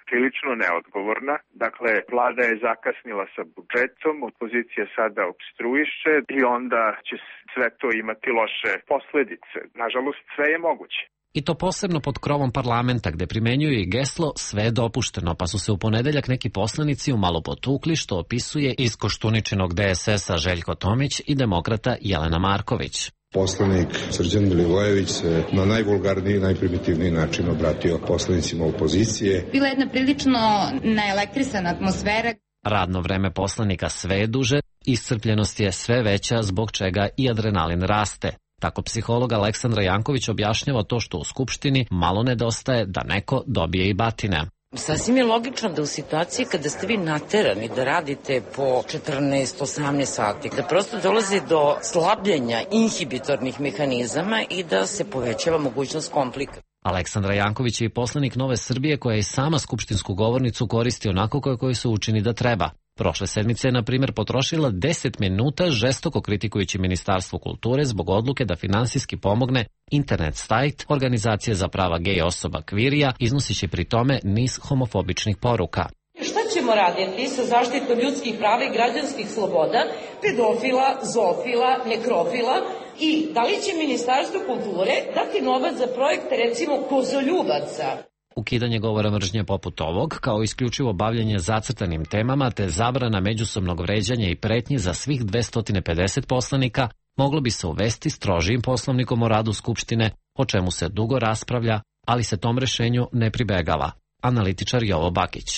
prilično neodgovorna. Dakle, vlada je zakasnila sa budžetom, opozicija sada opstruiše i onda će sve to imati loše posledice. Nažalost, sve je moguće. I to posebno pod krovom parlamenta, gde primenjuju i geslo sve je dopušteno, pa su se u ponedeljak neki poslanici umalo potukli, što opisuje iz Koštuničinog D S S-a Željko Tomić i demokrata Jelena Marković. Poslanik Srđan Milivojević se na najvulgarniji i najprimitivniji način obratio poslanicima opozicije. Bila je jedna prilično naelektrisana atmosfera. Radno vreme poslanika sve je duže, iscrpljenost je sve veća, zbog čega i adrenalin raste. Tako psiholog Aleksandra Janković objašnjava to što u Skupštini malo nedostaje da neko dobije i batine. Sasvim je logično da u situaciji kada ste vi naterani da radite po četrnaest osamnaest sati, da prosto dolazi do slabljenja inhibitornih mehanizama i da se povećava mogućnost komplika. Aleksandra Janković je i poslanik Nove Srbije koja i sama skupštinsku govornicu koristi onako kako se učini da treba. Prošle sedmice je, na primjer, potrošila deset minuta žestoko kritikujući Ministarstvo kulture zbog odluke da finansijski pomogne internet sajt Organizacije za prava gej osoba Kvirija, iznoseći pri tome niz homofobičnih poruka. Šta ćemo raditi sa zaštitom ljudskih prava i građanskih sloboda, pedofila, zoofila, nekrofila i da li će Ministarstvo kulture dati novac za projekte, recimo, kozoljubaca? Ukidanje govora mržnje poput ovog, kao isključivo bavljanje zacrtanim temama te zabrana međusobnog vređanja i pretnji za svih dvesta pedeset poslanika, moglo bi se uvesti strožijim poslovnikom o radu Skupštine, o čemu se dugo raspravlja, ali se tom rešenju ne pribegava. Analitičar Jovo Bakić.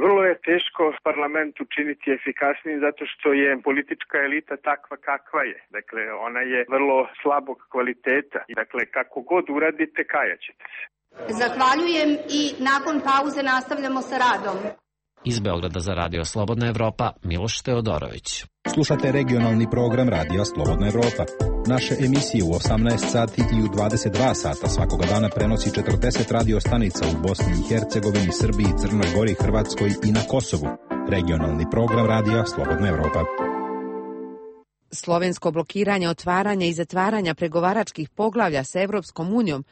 Vrlo je teško parlament učiniti efikasnijim zato što je politička elita takva kakva je. Dakle, ona je vrlo slabog kvaliteta. Dakle, kako god uradite, kajaćete se. Zahvaljujem i nakon pauze nastavljamo sa radom. Iz Beograda za Radio Slobodna Evropa, Miloš Teodorović. Slušate regionalni program Radija Slobodna Evropa. Naše emisije u osamnaest sati i u dvadeset dva sata svakoga dana prenosi četrdeset radio stanica u Bosni i Hercegovini, Srbiji, Crnoj Gori, Hrvatskoj i na Kosovu. Regionalni program Radija Slobodna Evropa. Slovensko blokiranje otvaranja i zatvaranja pregovaračkih poglavlja sa Evropskom unijom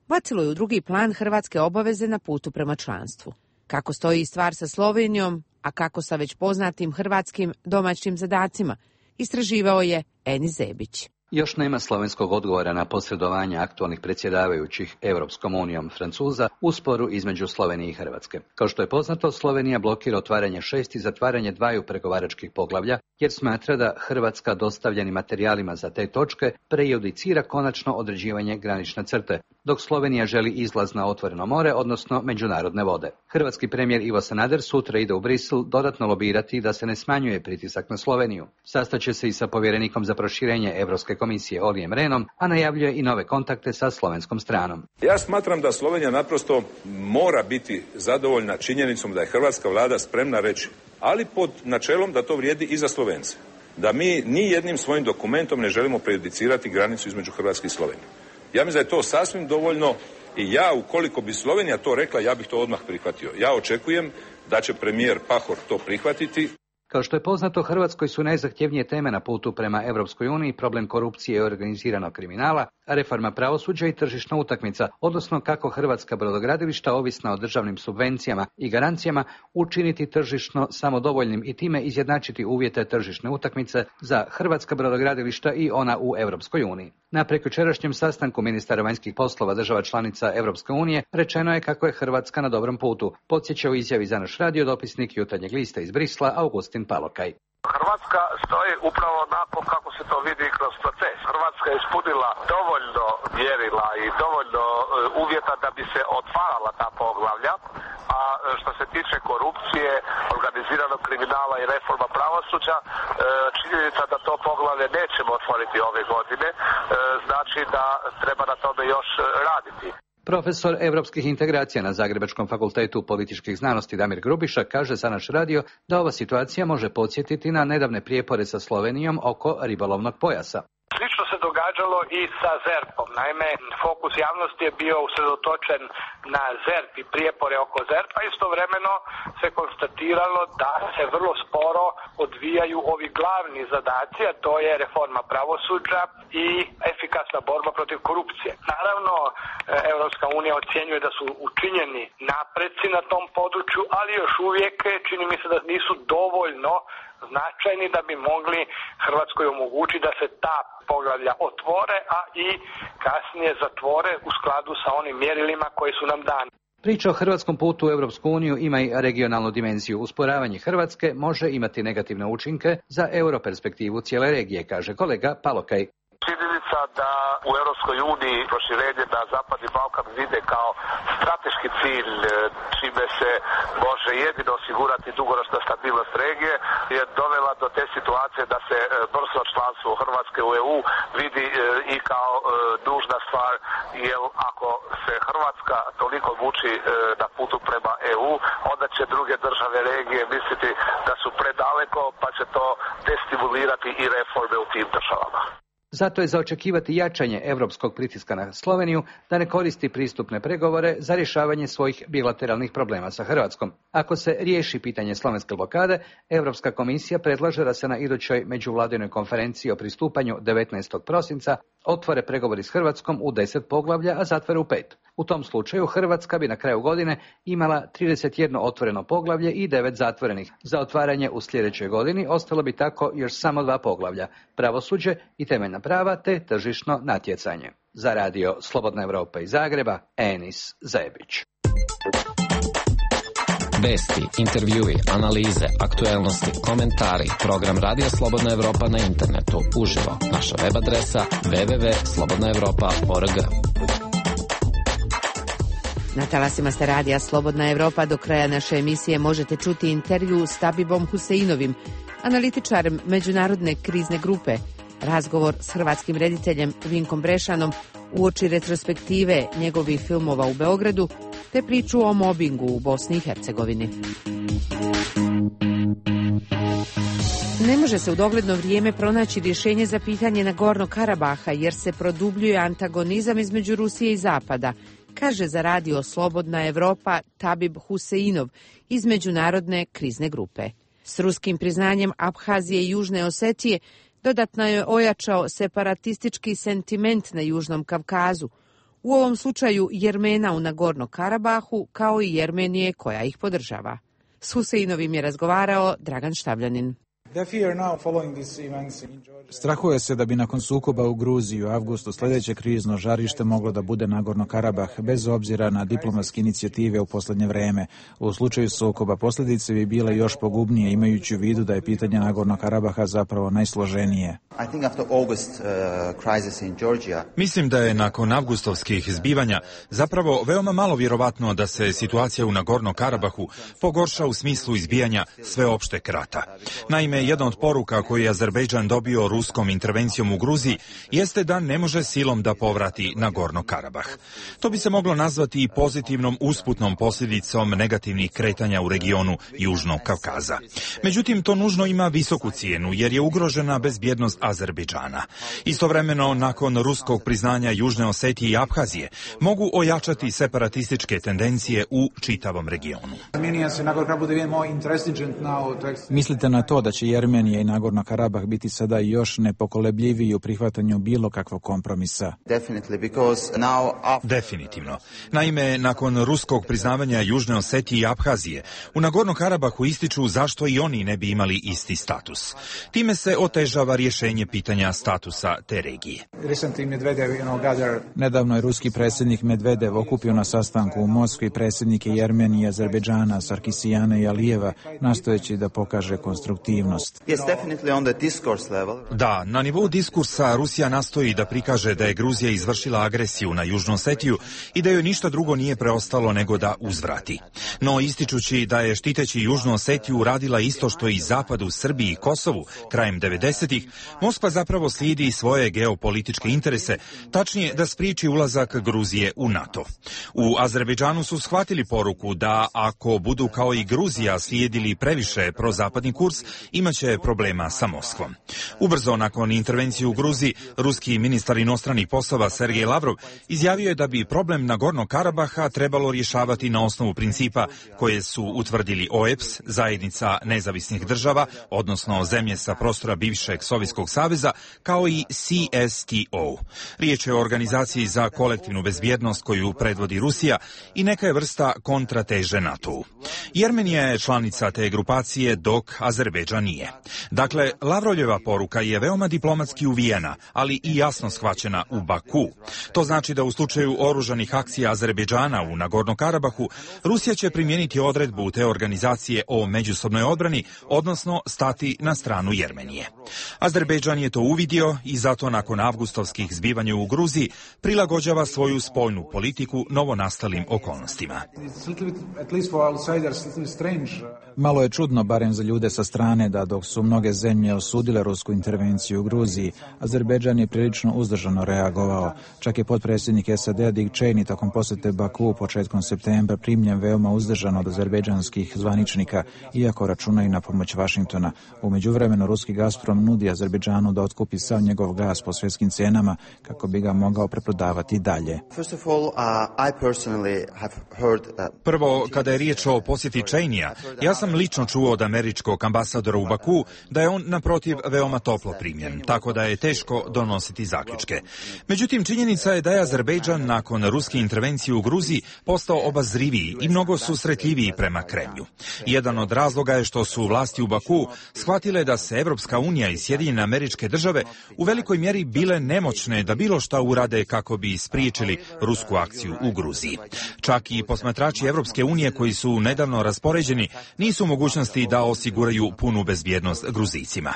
bacilo je u drugi plan hrvatske obaveze na putu prema članstvu. Kako stoji stvar sa Slovenijom, a kako sa već poznatim hrvatskim domaćim zadacima, istraživao je Eni Zebić. Još nema slovenskog odgovora na posredovanje aktualnih predsjedavajućih Evropskom unijom Francuza u sporu između Slovenije i Hrvatske. Kao što je poznato, Slovenija blokira otvaranje šest i zatvaranje dvaju pregovaračkih poglavlja, jer smatra da Hrvatska dostavljenim materijalima za te točke prejudicira konačno određivanje granične crte, dok Slovenija želi izlaz na otvoreno more, odnosno međunarodne vode. Hrvatski premijer Ivo Sanader sutra ide u Brisel dodatno lobirati da se ne smanjuje pritisak na Sloveniju. Sastaće se i sa povjerenikom za proširenje Evropske komisije Olijem Rehnom, a najavljuje i nove kontakte sa slovenskom stranom. Ja smatram da Slovenija naprosto mora biti zadovoljna činjenicom da je hrvatska vlada spremna reći, ali pod načelom da to vrijedi i za Slovence. Da mi ni jednim svojim dokumentom ne želimo prejudicirati granicu između Hrvatske i Slovenije. Ja mislim da je to sasvim dovoljno i ja, ukoliko bi Slovenija to rekla, ja bih to odmah prihvatio. Ja očekujem da će premijer Pahor to prihvatiti. Kao što je poznato, Hrvatskoj su najzahtjevnije teme na putu prema Europskoj uniji problem korupcije i organiziranog kriminala, reforma pravosuđa i tržišna utakmica, odnosno kako hrvatska brodogradilišta ovisna o državnim subvencijama i garancijama učiniti tržišno samodovoljnim i time izjednačiti uvjete tržišne utakmice za hrvatska brodogradilišta i ona u Europskoj uniji. Na prekjučerašnjem sastanku ministara vanjskih poslova država članica Europske unije rečeno je kako je Hrvatska na dobrom putu, podsjeća u izjavi za naš radio dopisnik Jutarnjeg lista iz Brisla Augustin Palokaj. Hrvatska stoji upravo onako kako se to vidi kroz proces. Hrvatska je ispunila dovoljno mjerila i dovoljno uvjeta da bi se otvarala ta poglavlja, a što se tiče korupcije, organiziranog kriminala i reforma pravosuđa, činjenica da to poglavlje nećemo otvoriti ove godine, znači da treba na tome još raditi. Profesor europskih integracija na Zagrebačkom fakultetu političkih znanosti Damir Grubiša kaže za naš radio da ova situacija može podsjetiti na nedavne prijepore sa Slovenijom oko ribolovnog pojasa. Slično se događalo i sa ZERP-om. Naime, fokus javnosti je bio usredotočen na ZERP i prijepore oko ZERP-a. Istovremeno se konstatiralo da se vrlo sporo odvijaju ovi glavni zadaci, a to je reforma pravosuđa i efikasna borba protiv korupcije. Naravno, Europska unija ocjenjuje da su učinjeni napreci na tom području, ali još uvijek čini mi se da nisu dovoljno značajni da bi mogli Hrvatskoj omogućiti da se ta poglavlja otvore, a i kasnije zatvore u skladu sa onim mjerilima koji su nam dani. Priča o hrvatskom putu u Europsku uniju ima i regionalnu dimenziju. Usporavanje Hrvatske može imati negativne učinke za europerspektivu cijele regije, kaže kolega Palokaj. Činjenica da u Europskoj uniji proširenje na Zapadni Balkan vide kao strateški cilj, čime se može jedino osigurati dugoročna stabilnost regije, je dovela do te situacije da se brzo članstvo Hrvatske u E U vidi i kao nužna stvar, jer ako se Hrvatska toliko muči na putu prema E U, onda će druge države regije misliti da su predaleko, pa će to destimulirati i reforme u tim državama. Zato je za očekivati jačanje europskog pritiska na Sloveniju da ne koristi pristupne pregovore za rješavanje svojih bilateralnih problema sa Hrvatskom. Ako se riješi pitanje slovenske blokade, Europska komisija predlaže da se na idućoj međuvladinoj konferenciji o pristupanju devetnaestog prosinca otvore pregovori s Hrvatskom u deset poglavlja, a zatvore u pet. U tom slučaju Hrvatska bi na kraju godine imala trideset jedno otvoreno poglavlje i devet zatvorenih. Za otvaranje u sljedećoj godini ostalo bi tako još samo dva poglavlja, pravosuđe i temeljna prava te tržišno natjecanje. Za radio Slobodna Evropa iz Zagreba, Enis Zebić. Vesti, intervjui, analize, aktuelnosti, komentari, program Radija Slobodna Evropa na internetu, uživo, naša web adresa w w w tačka slobodna evropa tačka org. Na talasima ste Radija Slobodna Evropa. Do kraja naše emisije možete čuti intervju s Tabibom Huseinovim, analitičarem Međunarodne krizne grupe, razgovor s hrvatskim rediteljem Vinkom Brešanom uoči retrospektive njegovih filmova u Beogradu, te priču o mobingu u Bosni i Hercegovini. Ne može se u dogledno vrijeme pronaći rješenje za pitanje Nagornog Karabaha jer se produbljuje antagonizam između Rusije i Zapada, kaže za radio Slobodna Evropa Tabib Huseinov iz Međunarodne krizne grupe. S ruskim priznanjem Abhazije i Južne Osetije dodatno je ojačao separatistički sentiment na Južnom Kavkazu, u ovom slučaju Jermena u Nagornom Karabahu, kao i Jermenije koja ih podržava. S Huseinovim je razgovarao Dragan Štabljanin. Strahuje se da bi nakon sukoba u Gruziji u avgustu sljedeće krizno žarište moglo da bude Nagorno Karabah, bez obzira na diplomatske inicijative u posljednje vreme. U slučaju sukoba posljedice bi bile još pogubnije, imajući u vidu da je pitanje Nagorno Karabaha zapravo najsloženije. Mislim da je nakon avgustovskih zbivanja zapravo veoma malo vjerovatno da se situacija u Nagorno Karabahu pogorša u smislu izbijanja sveopšteg rata. Naime, Naime, jedna od poruka koju je Azerbejdžan dobio ruskom intervencijom u Gruziji jeste da ne može silom da povrati Nagorno Karabah. To bi se moglo nazvati i pozitivnom usputnom posljedicom negativnih kretanja u regionu Južnog Kavkaza. Međutim, to nužno ima visoku cijenu jer je ugrožena bezbjednost Azerbejdžana. Istovremeno, nakon ruskog priznanja Južne Osetije i Abhazije, mogu ojačati separatističke tendencije u čitavom regionu. Mislite na to da će Jermenija i Nagorno Karabah biti sada još nepokolebljiviji u prihvatanju bilo kakvog kompromisa? Definitivno. Naime, nakon ruskog priznavanja Južne Osetije i Abhazije, u Nagorno Karabahu ističu zašto i oni ne bi imali isti status. Time se otežava rješenje pitanja statusa te regije. Nedavno je ruski predsjednik Medvedev okupio na sastanku u Moskvi predsjednike Jermenije i Azerbejdžana, Sarkisijana i Alijeva, nastojeći da pokaže konstruktivnost. Da, na nivou diskursa Rusija nastoji da prikaže da je Gruzija izvršila agresiju na Južnu Osetiju i da joj ništa drugo nije preostalo nego da uzvrati. No, ističući da je štiteći Južnu Osetiju radila isto što i Zapad u Srbiji i Kosovu krajem devedesetih, Moskva zapravo slijedi svoje geopolitičke interese, tačnije da spriječi ulazak Gruzije u NATO. U Azerbejdžanu su shvatili poruku da ako budu kao i Gruzija slijedili previše prozapadni kurs, imaće problema sa Moskvom. Ubrzo nakon intervencije u Gruziji, ruski ministar inostranih poslova Sergej Lavrov izjavio je da bi problem Nagorno Karabaha trebalo rješavati na osnovu principa koje su utvrdili O E B S, zajednica nezavisnih država, odnosno zemlje sa prostora bivšeg Sovjetskog saveza, kao i C S T O. Riječ je o organizaciji za kolektivnu bezbjednost koju predvodi Rusija i neka je vrsta kontrateže NATO-u. Jermenija je članica te grupacije, dok Azerbejdžan nije. Dakle, Lavrovljeva poruka je veoma diplomatski uvijena, ali i jasno shvaćena u Baku. To znači da u slučaju oružanih akcija Azerbejdžana u Nagorno Karabahu, Rusija će primijeniti odredbu te organizacije o međusobnoj odbrani, odnosno stati na stranu Jermenije. Azerbejdžan je to uvidio i zato nakon avgustovskih zbivanja u Gruziji prilagođava svoju spoljnu politiku novonastalim okolnostima. Malo je čudno, barem za ljude sa strane, da dok su mnoge zemlje osudile rusku intervenciju u Gruziji, Azerbejdžan je prilično uzdržano reagovao. Čak je potpredsjednik S A D-a Dick Cheney tokom posjete Baku početkom septembra primljen veoma uzdržano od azerbejdžanskih zvaničnika, iako računaju na pomoć Vašingtona. U međuvremenu ruski Gazprom nudi Azerbejdžanu da otkupi sav njegov gas po svjetskim cijenama kako bi ga mogao preprodavati dalje. Prvo, kada je riječ o posjeti Cheneya, ja sam lično čuo od američkog ambasadora u Baku da je on naprotiv veoma toplo primljen, tako da je teško donositi zaključke. Međutim, činjenica je da je Azerbejdžan nakon ruske intervencije u Gruziji postao obazriviji i mnogo susretljiviji prema Kremlju. Jedan od razloga je što su vlasti u Baku shvatile da se Evropska unija i Sjedinjene Američke Države u velikoj mjeri bile nemoćne da bilo šta urade kako bi spriječili rusku akciju u Gruziji. Čak i posmatrači Evropske unije koji su nedavno raspoređeni nisu u mogućnosti da osiguraju punu bezbjednost Gruzijcima.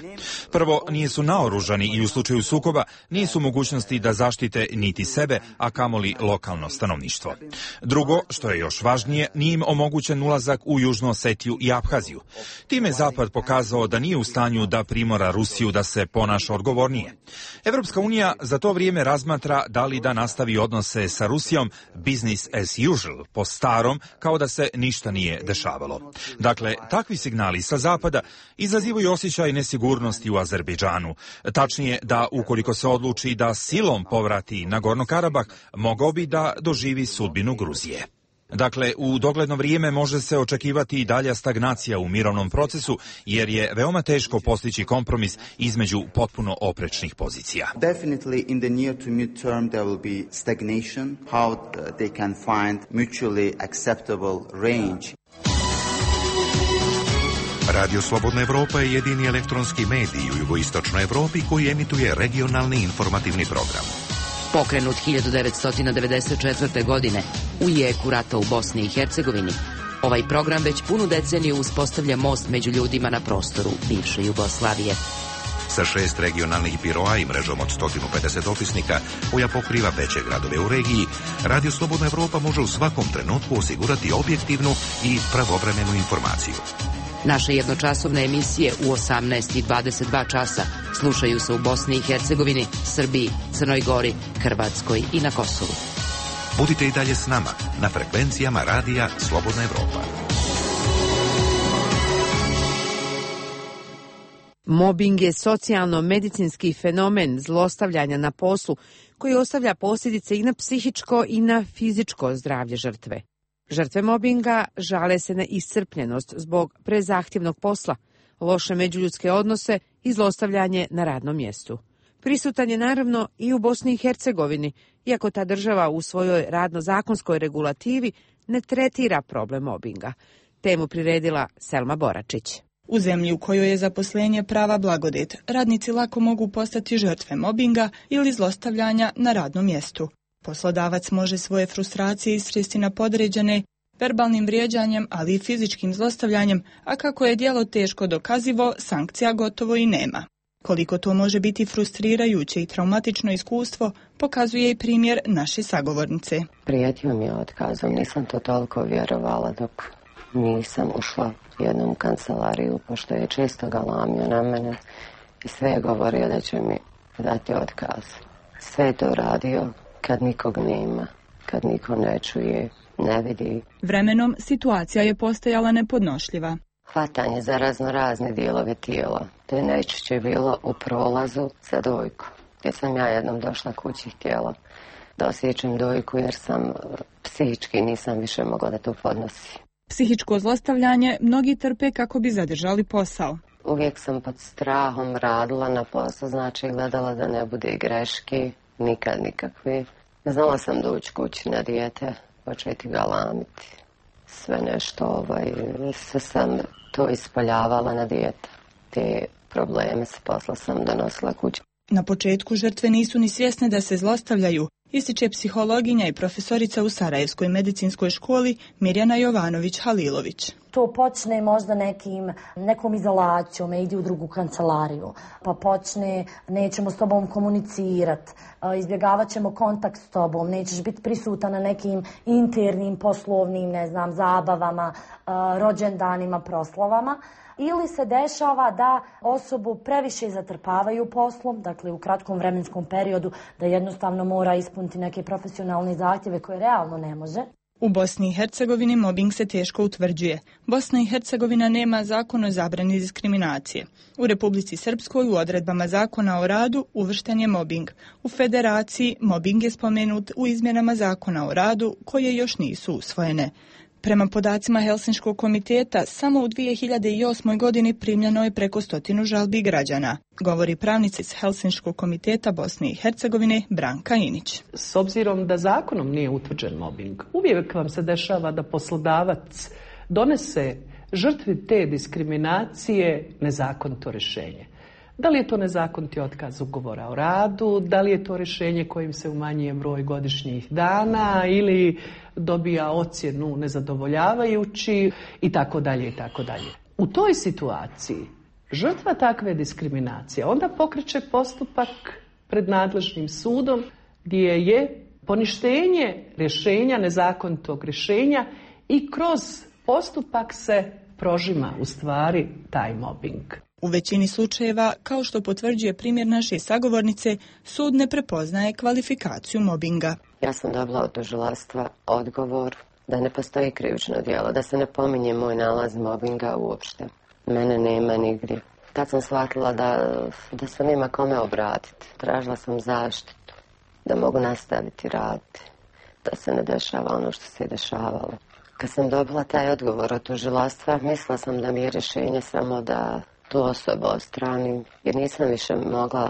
Prvo, nisu naoružani i u slučaju sukoba nisu u mogućnosti da zaštite niti sebe, a kamoli lokalno stanovništvo. Drugo, što je još važnije, nije im omogućen ulazak u Južnu Osetiju i Abhaziju. Time je Zapad pokazao da nije u stanju da primora Rusiju da se ponaša odgovornije. Evropska unija za to vrijeme razmatra da li da nastavi odnose sa Rusijom business as usual, po starom, kao da se ništa nije dešavalo. Dakle, takvi signali sa Zapada izazivaju osjećaj nesigurnosti u Azerbejdžanu. Tačnije da ukoliko se odluči da silom povrati Nagorno Karabah, mogao bi da doživi sudbinu Gruzije. Dakle, u dogledno vrijeme može se očekivati i dalja stagnacija u mirovnom procesu, jer je veoma teško postići kompromis između potpuno oprečnih pozicija. Definitely in the near to mid term there will be stagnation, how they can find mutually acceptable range. Radio Slobodna Evropa je jedini elektronski medij u jugoistočnoj Evropi koji emituje regionalni informativni program. Pokrenut hiljadu devetsto devedeset četvrte. godine u jeku rata u Bosni i Hercegovini, ovaj program već punu deceniju uspostavlja most među ljudima na prostoru bivše Jugoslavije. Sa šest regionalnih biroa i mrežom od sto pedeset opisnika koja pokriva veće gradove u regiji, Radio Slobodna Evropa može u svakom trenutku osigurati objektivnu i pravovremenu informaciju. Naše jednočasovne emisije u osamnaest i dvadeset dva časa slušaju se u Bosni i Hercegovini, Srbiji, Crnoj Gori, Hrvatskoj i na Kosovu. Budite i dalje s nama na frekvencijama radija Slobodna Evropa. Mobing je socijalno-medicinski fenomen zlostavljanja na poslu koji ostavlja posljedice i na psihičko i na fizičko zdravlje žrtve. Žrtve mobinga žale se na iscrpljenost zbog prezahtjevnog posla, loše međuljudske odnose i zlostavljanje na radnom mjestu. Prisutan je naravno i u Bosni i Hercegovini, iako ta država u svojoj radno-zakonskoj regulativi ne tretira problem mobinga. Temu priredila Selma Boračić. U zemlji u kojoj je zaposlenje prava blagodet, radnici lako mogu postati žrtve mobinga ili zlostavljanja na radnom mjestu. Poslodavac može svoje frustracije istresti na podređene verbalnim vrijeđanjem, ali i fizičkim zlostavljanjem, a kako je djelo teško dokazivo, sankcija gotovo i nema. Koliko to može biti frustrirajuće i traumatično iskustvo, pokazuje i primjer naše sagovornice. Prijetio mi je otkazom, nisam to toliko vjerovala dok nisam ušla u jednom kancelariju, pošto je često galamio na mene i sve je govorio da će mi dati otkaz. Sve je to radio kad nikog nema, kad niko ne čuje, ne vidi. Vremenom situacija je postajala nepodnošljiva. Hvatanje za razno razne dijelove tijela. To je najčešće bilo u prolazu za dojku. Gdje sam ja jednom došla kući htjela da osjećam dojku jer sam psihički nisam više mogla da to podnosi. Psihičko zlostavljanje mnogi trpe kako bi zadržali posao. Uvijek sam pod strahom radila na poslu, znači gledala da ne bude greški, nikad nikakve. Znala sam doći kući na dijete, početi galamiti. Sve nešto, ovaj, sve sam to ispoljavala na dijete. Te probleme s posla sam donosila kući. Na početku žrtve nisu ni svjesne da se zlostavljaju, ističe psihologinja i profesorica u Sarajevskoj medicinskoj školi Mirjana Jovanović-Halilović. To počne možda nekim, nekom izolacijom, idi u drugu kancelariju, pa počne nećemo s tobom komunicirati, izbjegavat ćemo kontakt s tobom, nećeš biti prisutan na nekim internim, poslovnim, ne znam, zabavama, rođendanima, proslavama. Ili se dešava da osobu previše zatrpavaju poslom, dakle u kratkom vremenskom periodu, da jednostavno mora ispuniti neke profesionalne zahtjeve koje realno ne može. U Bosni i Hercegovini mobing se teško utvrđuje. Bosna i Hercegovina nema zakon o zabrani diskriminacije. U Republici Srpskoj u odredbama zakona o radu uvršten je mobing. U Federaciji mobing je spomenut u izmjenama zakona o radu koje još nisu usvojene. Prema podacima Helsinškog komiteta, samo u dvije hiljade osmoj. godini primljeno je preko stotinu žalbi građana, govori pravnica iz Helsinškog komiteta Bosne i Hercegovine Branka Inić. S obzirom da zakonom nije utvrđen mobing, uvijek vam se dešava da poslodavac donese žrtvi te diskriminacije nezakonito rješenje. Da li je to nezakoniti otkaz ugovora o radu, da li je to rješenje kojim se umanjuje broj godišnjih dana ili dobija ocjenu nezadovoljavajući i tako dalje i tako dalje. U toj situaciji žrtva takve diskriminacije onda pokreće postupak pred nadležnim sudom gdje je poništenje rješenja, nezakonitog rješenja i kroz postupak se prožima u stvari taj mobing. U većini slučajeva, kao što potvrđuje primjer naše sagovornice, sud ne prepoznaje kvalifikaciju mobinga. Ja sam dobila od tužilaštva odgovor da ne postoji krivično djelo, da se ne pominje moj nalaz mobinga uopšte. Mene nema nigdje. Tad sam shvatila da, da se nema kome obratiti. Tražila sam zaštitu, da mogu nastaviti raditi, da se ne dešava ono što se je dešavalo. Kad sam dobila taj odgovor od tužilaštva, mislila sam da mi je rješenje samo da tu osobu ostranim, jer nisam više mogla,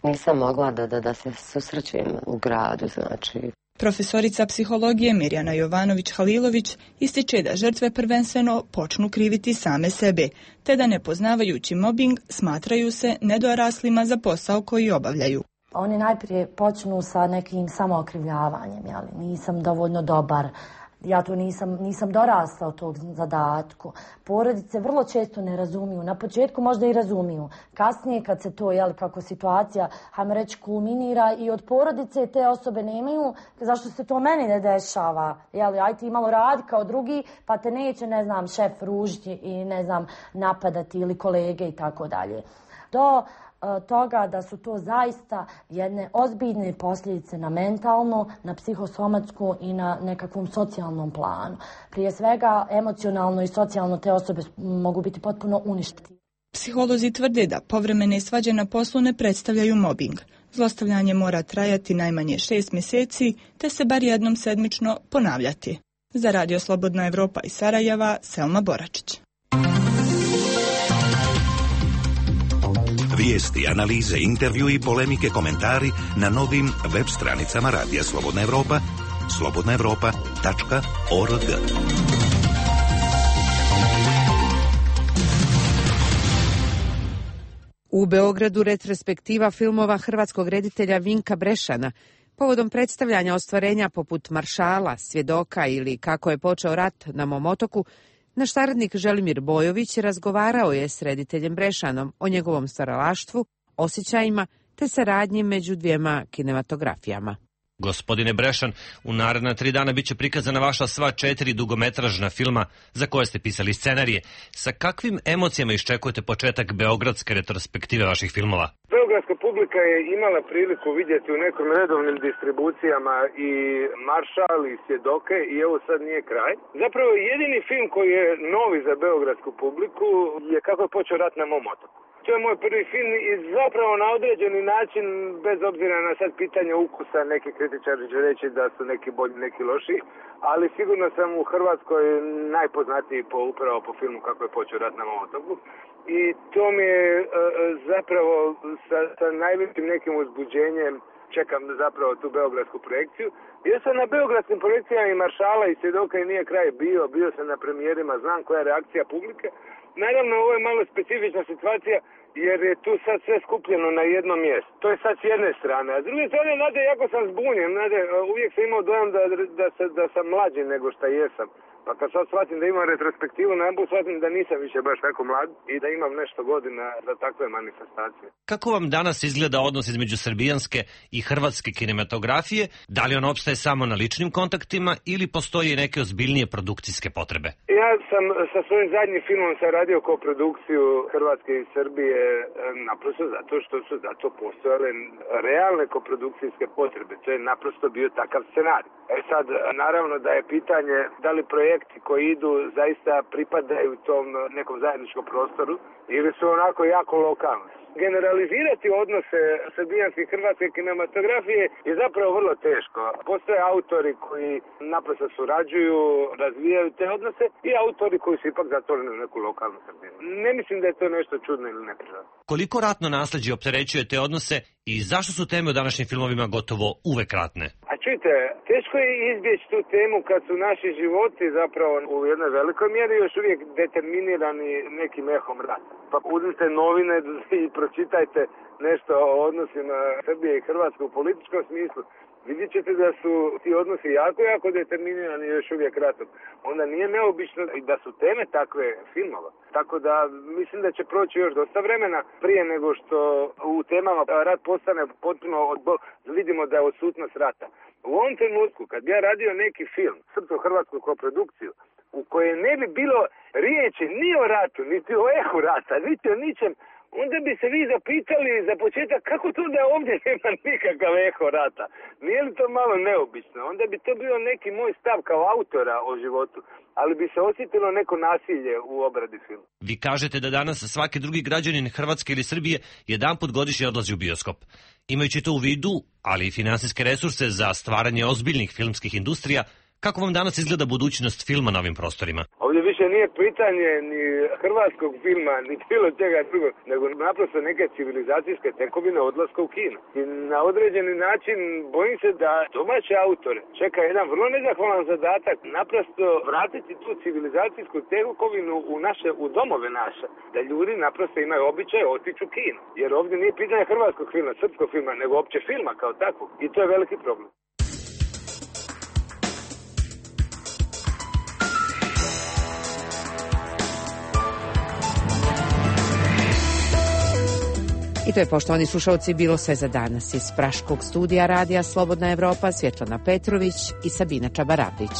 nisam mogla da, da, da se susrećem u gradu, znači. Profesorica psihologije Mirjana Jovanović-Halilović ističe da žrtve prvenstveno počnu kriviti same sebe, te da ne poznavajući mobing smatraju se nedoraslima za posao koji obavljaju. Oni najprije počnu sa nekim samookrivljavanjem, jeli, nisam dovoljno dobar, Ja tu nisam, nisam dorasla od tog zadatku. Porodice vrlo često ne razumiju. Na početku možda i razumiju. Kasnije kad se to, jel, kako situacija, hajmo reći, kulminira i od porodice te osobe nemaju, zašto se to meni ne dešava? Jel, aj ti malo radi kao drugi, pa te neće, ne znam, šef ružiti i, ne znam, napadati ili kolege i tako dalje. Do toga da su to zaista jedne ozbiljne posljedice na mentalno, na psihosomatsku i na nekakvom socijalnom planu. Prije svega, emocionalno i socijalno te osobe mogu biti potpuno uništene. Psiholozi tvrde da povremene svađe na poslu ne predstavljaju mobing. Zlostavljanje mora trajati najmanje šest mjeseci, te se bar jednom sedmično ponavljati. Za Radio Slobodna Evropa iz Sarajeva, Selma Boračić. Vijesti, analize, intervju i polemike, komentari na novim web stranicama Radija Slobodna Evropa, slobodna evropa tačka org. U Beogradu retrospektiva filmova hrvatskog reditelja Vinka Brešana povodom predstavljanja ostvarenja poput Maršala, Svjedoka ili Kako je počeo rat na mom otoku, naš saradnik Želimir Bojović razgovarao je s rediteljem Brešanom o njegovom stvaralaštvu, osjećajima te saradnji među dvijema kinematografijama. Gospodine Brešan, u naredna tri dana bit će prikazana vaša sva četiri dugometražna filma za koje ste pisali scenarije. Sa kakvim emocijama iščekujete početak beogradske retrospektive vaših filmova? Beogradska publika je imala priliku vidjeti u nekim redovnim distribucijama i Maršal i Svjedoke i evo sad nije kraj. Zapravo jedini film koji je novi za beogradsku publiku je Kako je počeo rat na mom otoku. To je moj prvi film i zapravo na određeni način, bez obzira na sad pitanje ukusa, neki kritičari će reći da su neki bolji, neki loši, ali sigurno sam u Hrvatskoj najpoznatiji po, upravo po filmu Kako je počeo rat na mom otoku. I to mi je e, zapravo sa, sa najvećim nekim uzbuđenjem čekam zapravo tu beogradsku projekciju. Bio sam na beogradskim projekcijama i Maršala i Svjedoka i nije kraj bio, bio sam na premijerima, znam koja je reakcija publike. Naravno, ovo je malo specifična situacija jer je tu sad sve skupljeno na jedno mjesto. To je sad s jedne strane. A s druge strane, nade, jako sam zbunjen. Nade, uvijek sam imao dojam da, da, da, da sam mlađi nego što jesam. Pa kad sad shvatim da imam retrospektivu, najednom shvatim da nisam više baš tako mlad i da imam nešto godina za takve manifestacije. Kako vam danas izgleda odnos između srbijanske i hrvatske kinematografije? Da li on opstaje samo na ličnim kontaktima ili postoji neke ozbiljnije produkcijske potrebe? Ja sam sa svojim zadnjim filmom sam radio koprodukciju Hrvatske i Srbije naprosto zato što su zato postojale realne koprodukcijske potrebe. To je naprosto bio takav scenarij. E sad, naravno da je pitanje da li projekti koji idu zaista pripadaju tom nekom zajedničkom prostoru ili su onako jako lokalni. Generalizirati odnose srbijanske i hrvatske kinematografije je zapravo vrlo teško. Postoje autori koji naprosto surađuju, razvijaju te odnose i autori koji su ipak zatvoreni u neku lokalnu Srbiju. Ne mislim da je to nešto čudno ili neprirodno. Koliko ratno nasljeđe opterećuje te odnose i zašto su teme u današnjim filmovima gotovo uvek ratne? A čujte, teško je izbjeći tu temu kad su naši životi zapravo u jednoj velikoj mjeri još uvijek determinirani nekim ehom rata. Pa uzmite novine i pročitajte nešto o odnosima Srbije i Hrvatske u političkom smislu. Vidjet ćete da su ti odnosi jako, jako determinirani još uvijek ratom. Onda nije neobično i da su teme takve filmova. Tako da mislim da će proći još dosta vremena prije nego što u temama rat postane potpuno odbo... vidimo da je odsutnost rata. U ovom trenutku kad bi ja radio neki film, srpsko-hrvatsku koprodukciju, u kojoj ne bi bilo riječi ni o ratu, niti o ehu rata, niti o ničem, onda bi se vi zapitali za početak kako to da ovdje nema nikakav eho rata. Nije li to malo neobično? Onda bi to bio neki moj stav kao autora o životu, ali bi se osjetilo neko nasilje u obradi filma. Vi kažete da danas svaki drugi građanin Hrvatske ili Srbije jedanput godišnje odlazi u bioskop. Imajući to u vidu, ali i finansijske resurse za stvaranje ozbiljnih filmskih industrija, kako vam danas izgleda budućnost filma na ovim prostorima? Ovdje više nije pitanje ni hrvatskog filma, ni bilo čega drugog, nego naprosto neke civilizacijske tekovine odlaska u kino. I na određeni način bojim se da domaće autore čeka jedan vrlo nezahvalan zadatak, naprosto vratiti tu civilizacijsku tekovinu u naše, u domove naše, da ljudi naprosto imaju običaj otići u kino. Jer ovdje nije pitanje hrvatskog filma, srpskog filma, nego opće filma kao takvog. I to je veliki problem. I to je, poštovani slušalci, bilo sve za danas. Iz Praškog studija radija Slobodna Evropa, Svjetlana Petrović i Sabina Čabarapić.